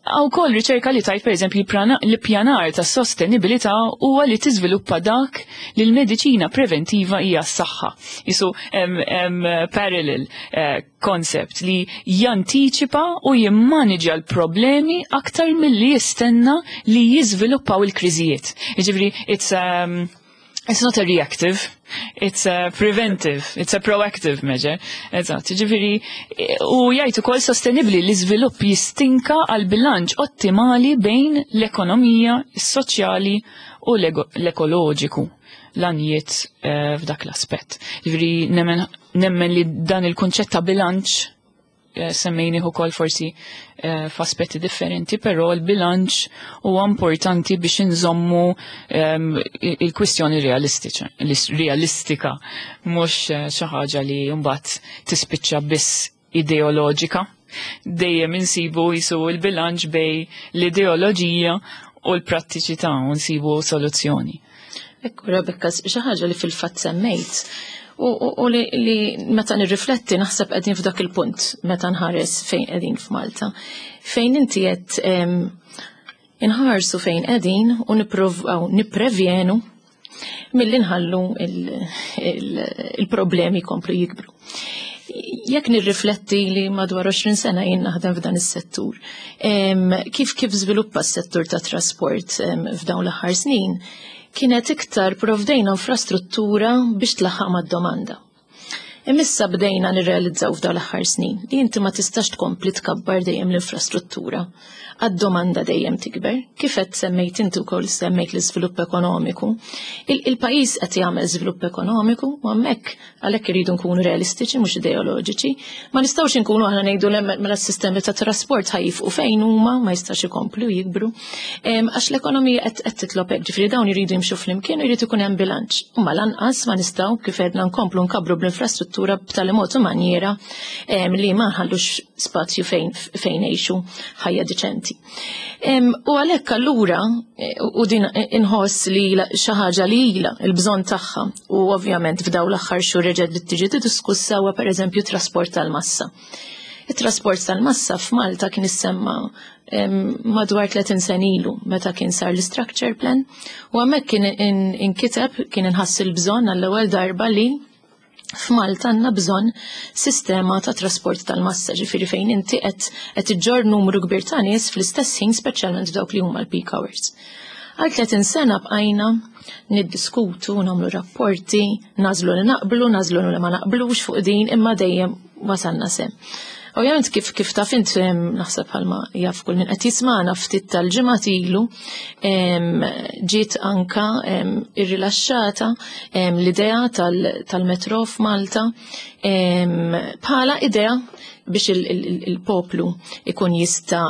hawn ukoll riċerka li tgħid, per eżempju, l-pjanar ta' sostenibilità huwa li tiżviluppa dak li l-mediċina preventiva hija s-saħħa. Jisu hemm parallel uh, concept li jantiċipa u jimmaniġa l-problemi aktar milli jistenna li jiżviluppaw il-kriżijiet. Jiġifieri it's um, It's not a reactive, it's a preventive, it's a proactive measure. Eżatt, ġifieri, u jgħid ukoll sostenibli l-iżvilupp jistinka għal bilanċ ottimali bejn l-ekonomija, is-soċjali u l-ekoloġiku, l-għanijiet eh, f'dak l-aspett. Ġifieri nemmen, nemmen li dan il-kunċett ta' bilanċ eh, semmejni ukoll forsi eh, f'aspetti differenti, però l-bilanċ huwa importanti biex inżommu ehm, il-kwistjoni realistika, realistika, mhux eh, xi ħaġa li mbagħad tispiċċa biss ideoloġika. Dejjem insibu jisu l-bilanċ bejn l-ideoloġija u l-prattiċità u nsibu soluzzjoni. Ekku, Rebecca, xi ħaġa li fil-fatt semmejt u, u, u li, li meta nirrifletti naħseb qegħdin f'dak il-punt meta nħares fejn qegħdin f'Malta. Fejn inti qed em, inħarsu fejn qegħdin u nippruvaw nipprevjenu milli nħallu il-problemi komplu jikbru. Jekk nirrifletti li madwar għoxrin sena jien naħdem f'dan is-settur, em, kif kif żviluppa s-settur ta' trasport em, f'dawn l-aħħar snin, Kienet iktar provdejna infrastruttura biex tlaħħaq mad-domanda. Imma issa bdejna nirrealizzaw f'dawn l-aħħar snin li inti ma tistax tkompli tkabbar dejjem l-infrastruttura. Għad-domanda dejjem tikber. Kif qed semmejt inti wkoll, semmejt l-iżvilupp ekonomiku. Il-pajjiż qed jagħmel żvilupp ekonomiku u hemmhekk għalhekk iridu nkunu realistiċi, mhux ideoloġiċi. Ma nistgħux inkunu aħna ngħidu mela s-sistemi ta' trasport ħa jieqfu fejn huma, ma jistax ikomplu jikbru. Għax l-ekonomija qed titlob hekk, ġifieri dawn iridu jimxu flimkien u jrid ikun hemm bilanċ. Imma lanqas ma nistgħu, kif għedna, nkomplu nkabbru bl-infrastruttura b'tali mod u manjera li ma nħallux spazju fejn fejn ngħixu ħajja diċenti. U għalhekk allura, u din inħoss li xi ħaġa li ilha il-bżonn tagħha u ovvjament f'dawn l-aħħar xhur reġgħet bdiet tiġi diskussa, huwa pereżempju trasport tal-massa. Il-trasport tal-massa f'Malta kien issemma madwar tletin sena ilu meta kien sar l-structure plan u hemmhekk kien inkiteb, kien inħass il-bżonn għall-ewwel darba li f'Malta għandna bżonn sistema ta' trasport tal-massa, ġifieri fejn inti qed qed iġġorr numru kbir ta' nies fl-istess ħin, speċjalment dawk li huma l-peak hours. Għal tletin sena bqajna niddiskutu, nagħmlu rapporti, nagħżlu li naqblu, nagħżlu li ma naqblux fuq din, imma dejjem wasalna s'hemm. Ovvjament, kif kif taf int, naħseb bħalma jaf kull min qed jisma'na, ftit tal-ġimgħat ilu ġiet anka irrilaxxata l-idea tal-metro f'Malta bħala idea biex il-poplu ikun jista'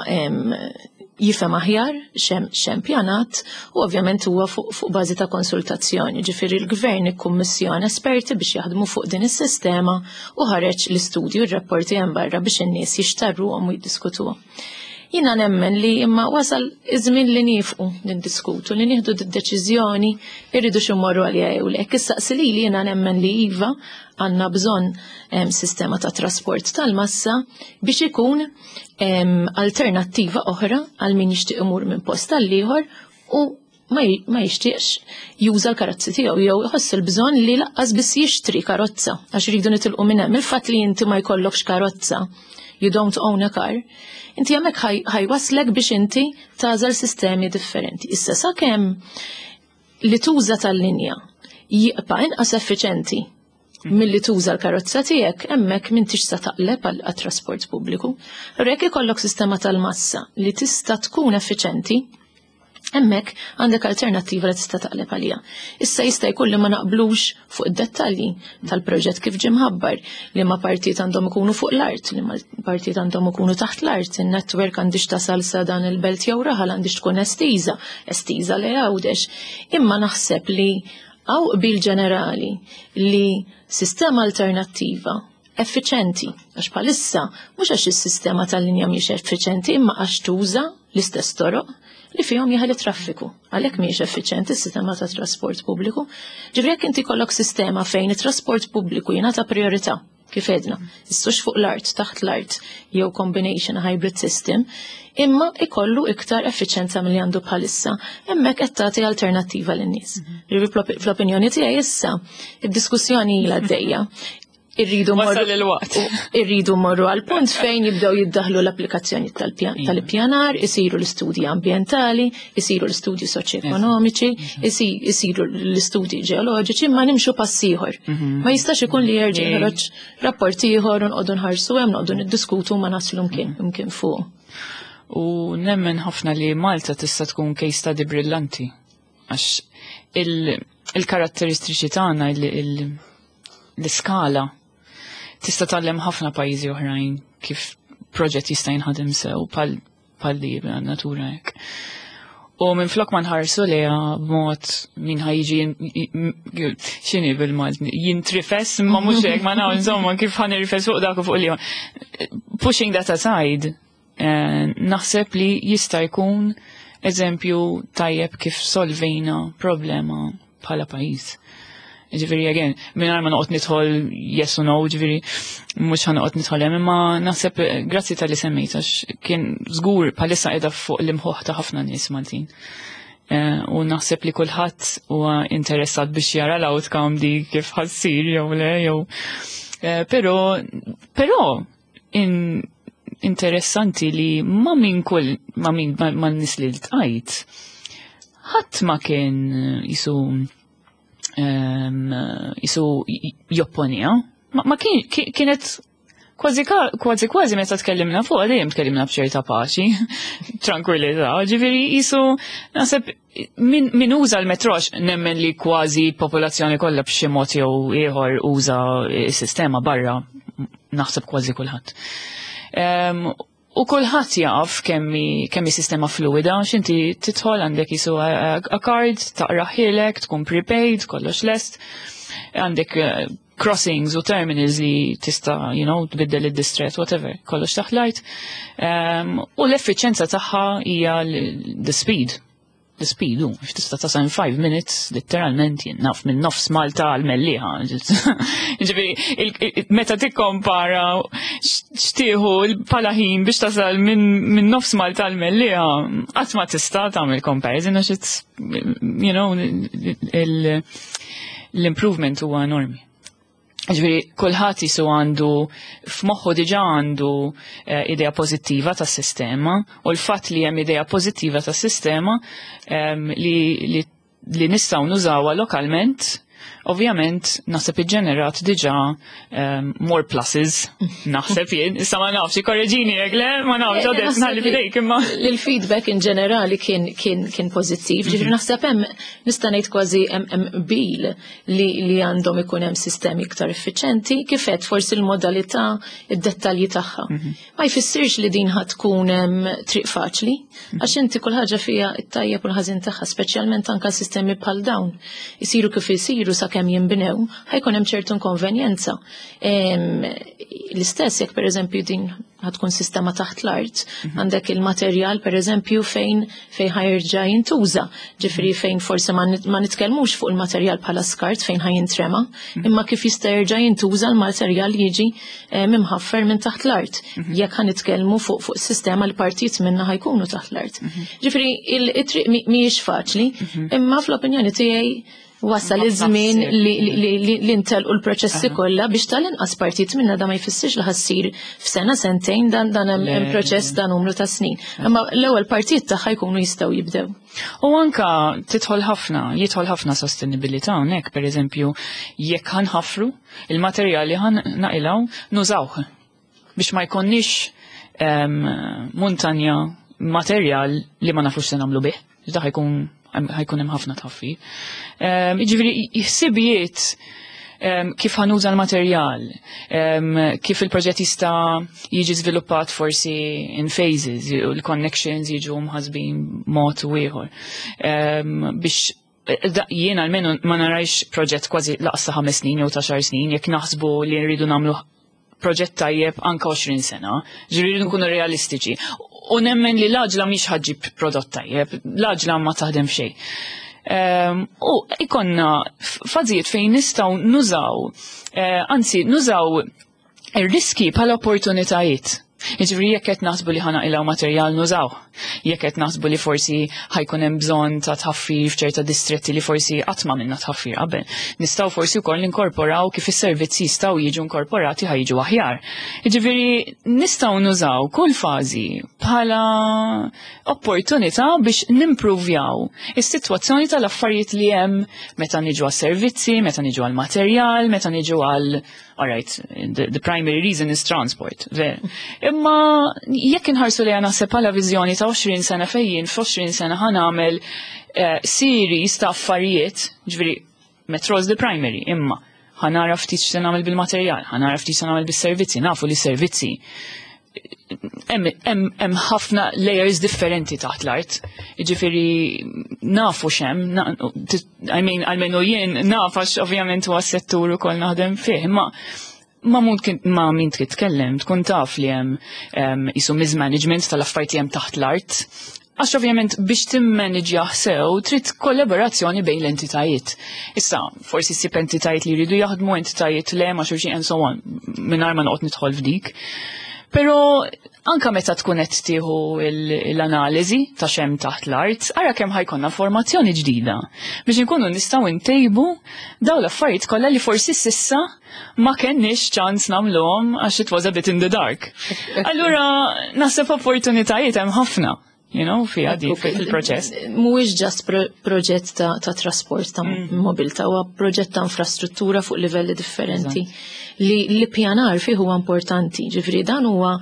jifhem aħjar x'hemm pjanat u ovvjament huwa fuq fu bażi ta' konsultazzjoni. Ġifieri l-gvern ikkummissjona esperti biex jaħdmu fuq din is-sistema u ħareġ l-istudju, r-rapporti hemm barra biex in-nies jixtarruhom u jiddiskutuhom. Jiena nemmen li imma wasal iż-żmien li nieqfu niddiskutu, li nieħdu d-deċiżjoni irridu immorru għalija jew le. Issa li jiena nemmen li iva, għandna bżonn sistema ta' trasport tal-massa biex ikun alternattiva oħra għal min jixtieq imur minn post għal ieħor u ma jixtieqx juża l-karozzi tiegħu jew iħoss il-bżonn li lanqas biss jixtri karozza, għax iridu nitilqu minn hemm. Il-fatt li inti ma jkollokx karozza, you don't own a car, inti hemmhekk ħa jwasslek biex inti tagħżel sistemi differenti. Issa, sakemm li tuża tal-linja jibqa' inqas effiċenti milli tuża l-karozza tiegħek, hemmhekk m'intix sa taqleb għat-trasport pubbliku. Jekk ikollok sistema tal-massa li tista' tkun effiċenti, hemmhekk għandek alternattiva li tista' taqleb għalija. Issa, jista' jkun li ma naqblux fuq id-dettalji tal-proġett kif ġie mħabbar, li ma partijiet għandhom ikunu fuq l-art, li ma partijiet għandhom ikunu taħt l-art, il-network għandix tasal sa dan il-belt jew raħal, għandix tkun estiża, estiża li Għawdex. Imma naħseb li hawn qbil ġenerali li sistema alternattiva effiċenti, għax bħalissa mhux għax is-sistema tal-linja mhix effiċenti, imma għax tuża l-istess toroq li fihom jeħel traffiku. Għalhekk mhijiex effiċenti s-sistema ta' trasport pubbliku. Ġifieri jekk inti jkollok sistema fejn it-trasport pubbliku jingħata priorità, kif għedna, issux fuq l-art, taħt l-art, jew combination hybrid system, imma ikollu iktar effiċenza milli għandu bħalissa, hemmhekk qed tagħti alternattiva lin-nies. Ġifieri fl-opinjoni tiegħi issa id-diskussjoni ilha għaddejja. Irridu Wasal il-waqt. Irridu morru għal punt fejn jibdew jiddaħlu l-applikazzjoni tal-ippjanar, isiru l-istudji ambientali, isiru l-istudji soċjoekonomiċi, isiru l-istudji ġeoloġiċi, ma nimxu pass ieħor. Ma jistax ikun li jerġa' joħroġ rapport ieħor u nqogħdu nħarsu hemm, noqogħdu niddiskutu, ma naslu mkien mkien fuq. U nemmen ħafna li Malta tista' tkun case study brillanti. Għax il-karatteristiċi tagħna, l-iskala, tista' tgħallem ħafna pajjiżi oħrajn kif proġett jista' jinħadem sew pal li natura hekk. U minn flok ma nħarsu li b'mod min ħa jiġi, x'inhi bil-Malti, jintrifes, ma mhux hekk, ma naf, insomma, kif ħa nirfes fuq dak u fuq li. Pushing that aside, eh, naħseb li jista' jkun eżempju tajjeb kif solvejna problema bħala pajjiż. Ġifieri, again, minn ma noqgħod nidħol yes u no, ġifieri, mhux ħa noqgħod nidħol hemm, imma naħseb grazzi talli semmejt, għax kien żgur bħalissa qiegħda fuq l-imħuħ ta' ħafna nies Maltin. Eh, u naħseb li kulħadd huwa interessat biex jara l-outcome di kif ħa ssir jew le jew. Eh, però però in, interessanti li ma' min kull ma' min ma' nies li ltqajt, Ħadd ma kien jisu jisu jopponija. Ma, ma kien, kienet kważi kważi kważi meta tkellimna fuq dejjem tkellimna b'ċerta paċi, tranquillità, ġifieri jisu naħseb min, min uża l-metrox nemmen li kważi popolazzjoni kollha b'xi mod jew ieħor uża s-sistema barra, naħseb kważi kulħadd. Um, u kulħadd jaf kemmi kemmi sistema fluida, x'inti tidħol għandek jisu a, a card, taqrahielek, tkun prepaid, kollox lest, għandek uh, crossings u terminals li tista, you know, tbiddel id-distret, whatever, kollox taħt. Um, u l-effiċenza tagħha hija the speed. The speed, u, tista' tasal in five minutes, literalment, jien naf minn nofs Malta għal Mellieħa. Ġifieri, meta tikkompara x'tieħu bħala ħin biex tasal minn nofs Malta għal Mellieħa, qatt ma tista' tagħmel comparison għax it's, you know, l-improvement huwa enormi. Ġifieri, kulħadd jisu għandu, f'moħħu diġà għandu eh, idea pożittiva tas-sistema, u l-fatt li hemm idea pożittiva tas-sistema um, li, li, li nistgħu nużawha lokalment, ovvjament naħseb iġġenerat diġà um, more pluses, naħseb jien, issa ma nafx, korreġini jekk le, ma nafx, għadet nħalli fidejk imma. Il-feedback in ġenerali kien kien kien pożittiv, ġifieri naħseb hemm nista' ngħid kważi hemm bil li li għandhom ikun hemm sistemi iktar effiċenti, kif qed forsi l-modalità, id-dettalji tagħha. Ma jfissirx li din ħad tkun triq faċli, għax inti kull ħaġa fiha it-tajjeb u l-ħażin tagħha, speċjalment anke sistemi bħal dawn. Isiru kif isiru sakemm jinbnew, ħajkun hemm ċertu inkonvenjenza. L-istess jekk pereżempju din ħatkun sistema taħt l-art, għandek il-materjal pereżempju fejn fejn ħajerġa' jintuża, ġifieri fejn forsi ma nitkellmux fuq il-materjal bħala skart fejn ħajintrema, imma kif jista' jerġa' jintuża l-materjal jiġi mimħaffer minn taħt l-art. Jekk ħa nitkellmu fuq fuq sistema li partijiet minna ħajkunu taħt l-art. Ġifieri il-triq mhijiex faċli, imma fl-opinjoni tiegħi wasal iż-żmien li ntelqu l-proċessi kollha biex tal-inqas partit minna. Da ma jfissirx li ħassir f'sena sentejn, dan dan hemm proċess ta' numru ta' snin. Imma l-ewwel partijiet tagħha jkunu jistgħu jibdew. U anka tidħol ħafna, jidħol ħafna sostenibilità hawnhekk, pereżempju, jekk ħanħafru il-materjali ħan naqilgħu nużawh biex ma jkonniex muntanja materjal li ma nafux se nagħmlu bih. Da ħajkun ħajkun hemm ħafna tħaffir. Jiġifieri ħsibijiet kif ħanuża l-materjal, kif il-proġett jista' jiġi żviluppat forsi in phases, u l-connections jiġu mħasbin mod u ieħor. Biex jien almenu ma narajx proġett kważi laqsa ħames snin jew ta' xar snin, jekk naħsbu li nridu nagħmlu proġett tajjeb anka għoxrin sena, ġifieri nkunu realistiċi. U nemmen li l-għaġla mhix ħaġġib prodott tajjeb, l-għaġla ma taħdem xejn. Um, u ikonna fażijiet fejn nistgħu nużaw, uh, anzi nużaw ir-riski bħala opportunitajiet. Jiġifieri jekk qed naħsbu li ħa naqilgħu materjal nużaw, jekk qed naħsbu li forsi ħajkun hemm bżonn ta' tħaffir f'ċerta distretti li forsi qatt ma minna tħaffir qabel. Nistgħu forsi wkoll ninkorporaw kif is-servizzi jistgħu jiġu inkorporati ħa jiġu aħjar. Jiġifieri nistgħu nużaw kull fażi bħala opportunità biex nimpruvjaw is-sitwazzjoni tal-affarijiet li hemm meta niġu għas-servizzi, meta niġu għall-materjal, meta niġu għal. All right, the, the primary reason is transport. Ver. Imma jekk inħarsu li naħseb bħala viżjoni ta' għoxrin sena fejjin, f'għoxrin sena ħa nagħmel uh, series ta' affarijiet, ġifieri metro is the primary, imma ħa nara ftit x'se nagħmel bil-materjal, ħa nara ftit x'se nagħmel bis-servizzi, nafu li servizzi hemm ħafna layers differenti taħt l-art. Ġifieri nafu x'hemm, I mean, almenu jien naf għax ovvjament huwa settur ukoll naħdem fih, imma ma mumkin ma min titkellem tkun taf li hemm isu mismanagement tal-affarijiet hemm taħt l-art. Għax ovvjament biex timmanagja sew trid kollaborazzjoni bejn l-entitajiet. Issa, forsi ssib entitajiet li jridu jaħdmu, entitajiet le ma' xulxin and so on, mingħajr ma noqgħod nidħol f'dik. Pero anka meta tkun qed tieħu l-analiżi ta' xem taħt l-art, ara kemm ħajkonna formazzjoni ġdida biex inkunu nistgħu ntejbu dawn l-affarijiet kollha li forsi s'issa ma kenniex ċans nagħmluhom għax it was a bit in the dark. Allura naħseb opportunitajiet hemm ħafna. you know, fiha di fil-proċess. Mhuwiex just pro proġett ta', ta' trasport ta' mm. mobilità, huwa proġett ta' infrastruttura fuq livelli differenti. Li l-ippjanar fih huwa importanti, ġifieri dan huwa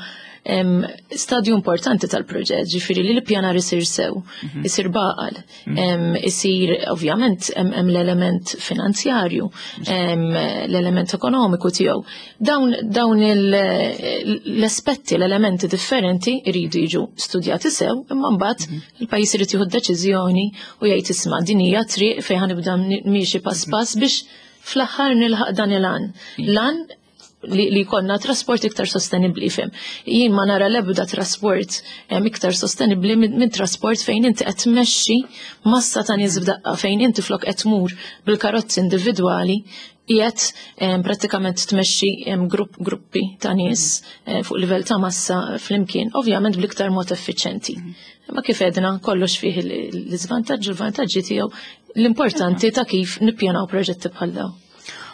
em, stadju importanti tal-proġett, ġifieri li l-ippjanar isir sew, isir b'għaqal, em, isir ovvjament hemm hemm l-element finanzjarju, em, l-element ekonomiku tiegħu. Dawn dawn il- l-aspetti, l-elementi differenti jridu jiġu studjati sew, imma mbagħad il-pajjiż irid jieħu deċiżjoni u jgħid, "Isma', din hija triq fejn ħa nibda miexi pass pass biex fl-aħħar nilħaq dan il-għan." L-għan li, li jkollna trasport iktar sostenibli, fem. Jien ma nara l-ebda trasport em, iktar sostenibli minn min trasport fejn inti qed tmexxi massa ta' nies f'daqqa, fejn inti flok qed tmur bil-karozzi individwali qiegħed em, prattikament tmexxi em, grupp gruppi ta' nies eh, fuq livell ta' massa flimkien, ovvjament bl-iktar mod effiċjenti. Ma kif edna, kollox fih l-iżvantaġġi u l-vantaġġi tiegħu, l-importanti ta' kif nippjanaw proġetti bħal dawn.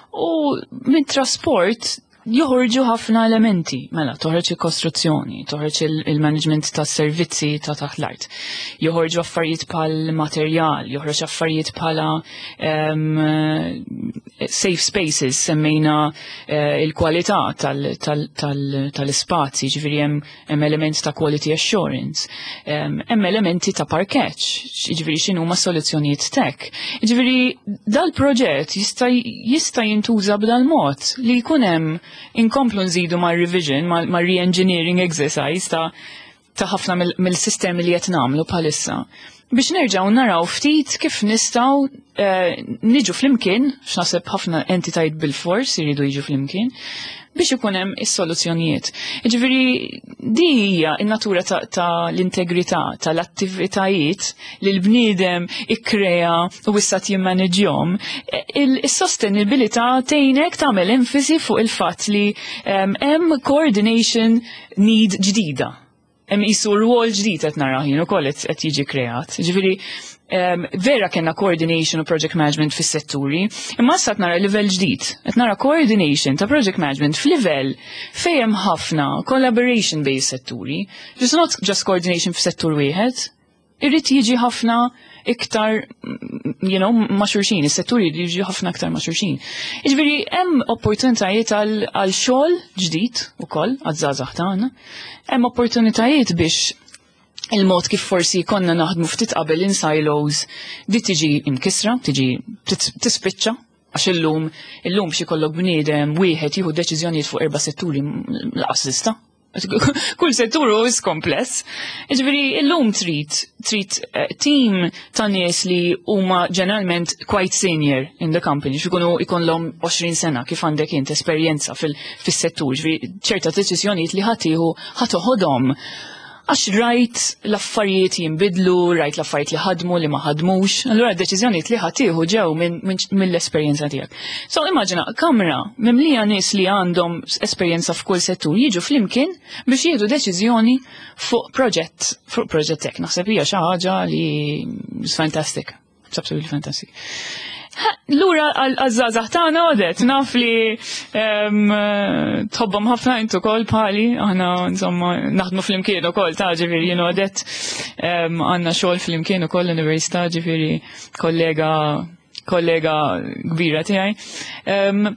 U minn trasport joħorġu ħafna elementi. Mela, toħroġ il-kostruzzjoni, toħroġ il-management ta' servizzi ta' taħt l-art. Joħorġu affarijiet bħal materjal, joħroġ affarijiet bħala um, safe spaces, semmejna uh, il-kwalità tal-ispazji, ġifieri hemm element ta' quality assurance, hemm elementi ta' parkeġġ, ġifieri x'inhuma soluzzjonijiet tech. Ġifieri dal-proġett jista' jista' jintuża b'dal-mod li jkun hemm inkomplu nżidu ma' revision, ma' re-engineering exercise ta' ta' ħafna mill-sistemi li qed nagħmlu bħalissa. Biex nerġgħu naraw ftit kif nistgħu eh, niġu flimkien, x'naħseb ħafna entitajiet bil-fors iridu jiġu flimkien, biex ikun hemm is-soluzzjonijiet. Ġifieri di hija n-natura ta', ta l-integrità tal-attivitajiet li l-bniedem ikkrea u issa jimmaneġjhom. Is-sostenibilità tgħinek tagħmel enfasi fuq il-fatt li hemm coordination need ġdida. Hemm qisu rwol ġdid qed nara jien ukoll qed jiġi kreat. Ġifieri um, vera kellna coordination u project management fis-setturi, imma issa qed nara livell ġdid. Qed nara coordination ta' project management f'livell fejn hemm ħafna collaboration based setturi. Just not just coordination f'settur wieħed. Irrid jiġi ħafna iktar, you know, ma' xulxin, is-setturi jiġi ħafna iktar ma' xulxin. Jiġifieri hemm opportunitajiet għal xogħol ġdid ukoll għaż-żgħażagħ tagħna, hemm opportunitajiet biex il-mod kif forsi konna naħdmu ftit qabel in silos di tiġi imkisra, tiġi tispiċċa, għax illum illum xi kollok bniedem wieħed jieħu deċiżjonijiet fuq erba' setturi lanqas tista'. Kull settur hu kompless. Ġifieri illum trid trid eh, team ta' nies li huma ġeneralment quite senior in the company, x'ikunu ikollhom għoxrin sena kif għandek int esperjenza fil-settur, ġifieri ċerta deċiżjonijiet li ħa tieħu ħa toħodhom għax rajt l-affarijiet jinbidlu, rajt l-affarijiet li ħadmu li ma ħadmux, allura d-deċiżjonijiet li ħa tieħu ġew mill-esperjenza tiegħek. So immaġina kamra mimlija nies li għandhom esperjenza f'kull settur jiġu flimkien biex jieħdu deċiżjoni fuq proġett, fuq proġett hekk. Naħseb hija xi ħaġa li fantastic. It's absolutely fantastic. Lura għaż-żgħażagħ tagħna, Odette, naf li tħobbhom ħafna intu ukoll bħali, aħna insomma naħdmu flimkien ukoll ta' ġifieri jien Odette għandna xogħol flimkien ukoll l-università, ġifieri kollega kollega kbira tiegħi.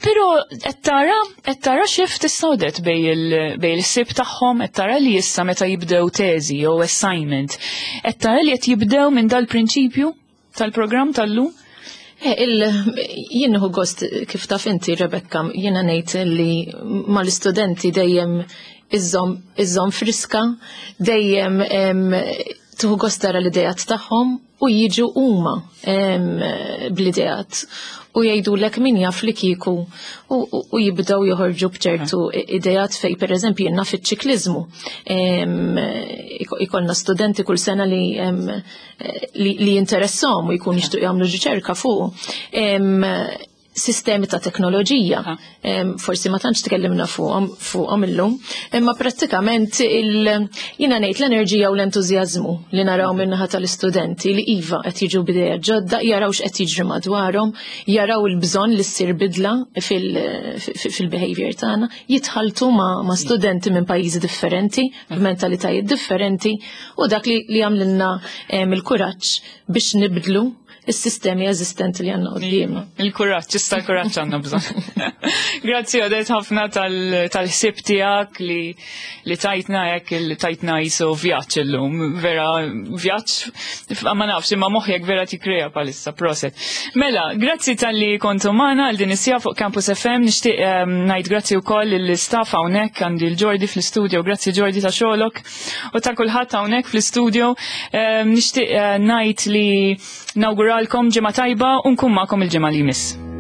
Però qed tara qed tara shift issa, Odette, bejn il-sib tagħhom, qed tara li issa meta jibdew teżi jew assignment, qed tara li qed jibdew minn dal-prinċipju tal-programm tal-lum? Eh, jien nieħu gost, kif taf inti, Rebecca, jiena ngħid li mal-istudenti dejjem iżżomm iżżomm friska, dejjem tieħu gost tara l-idejat tagħhom u jiġu huma bl-idejat u jgħidulek, "Min jaf li kieku", u jibdew joħorġu bċertu idejat fej per eżempju jenna fiċ-ċikliżmu. Ikollna studenti kull sena li li jinteressahom u jkun jixtiequ jagħmlu riċerka fuq. Sistemi ta' teknoloġija. Forsi ma tantx tkellimna fuqhom fuqhom illum, imma prattikament jiena ngħid l-enerġija u l-entużjażmu li naraw min-naħa tal-istudenti li iva qed jiġu b'idea ġodda, jaraw x'qed jiġri madwarhom, jaraw il-bżonn li ssir bidla fil-behavior tagħna, jitħaltu ma' studenti minn pajjiżi differenti, b'mentalitajiet differenti, u dak li għamlilna il-kuraġġ biex nibdlu is-sistemi eżistenti li għandna quddiemna. Il-kuraġġ, issa l-kuraġġ għandna bżonn. Grazzi, Odette, ħafna tal-ħsieb tiegħek li li tajtna hekk, li tajtna jisu vjaġġ illum, vera vjaġġ, ma nafx, imma moħħek vera tikkrea bħalissa, prosit. Mela, grazzi talli kontu magħna għal din is-siegħa fuq Campus F M. Nixtieq ehm, ngħid grazzi wkoll l-istaff hawnhekk, għandi l-Ġordi fl-istudio, grazzi Ġordi ta' xogħolok u ta' kulħadd hawnhekk fl-istudio. Ehm, nixtieq eh, ngħid li nawguralkom ġimgħa tajba u nkun magħkom il-ġimgħa li jmiss.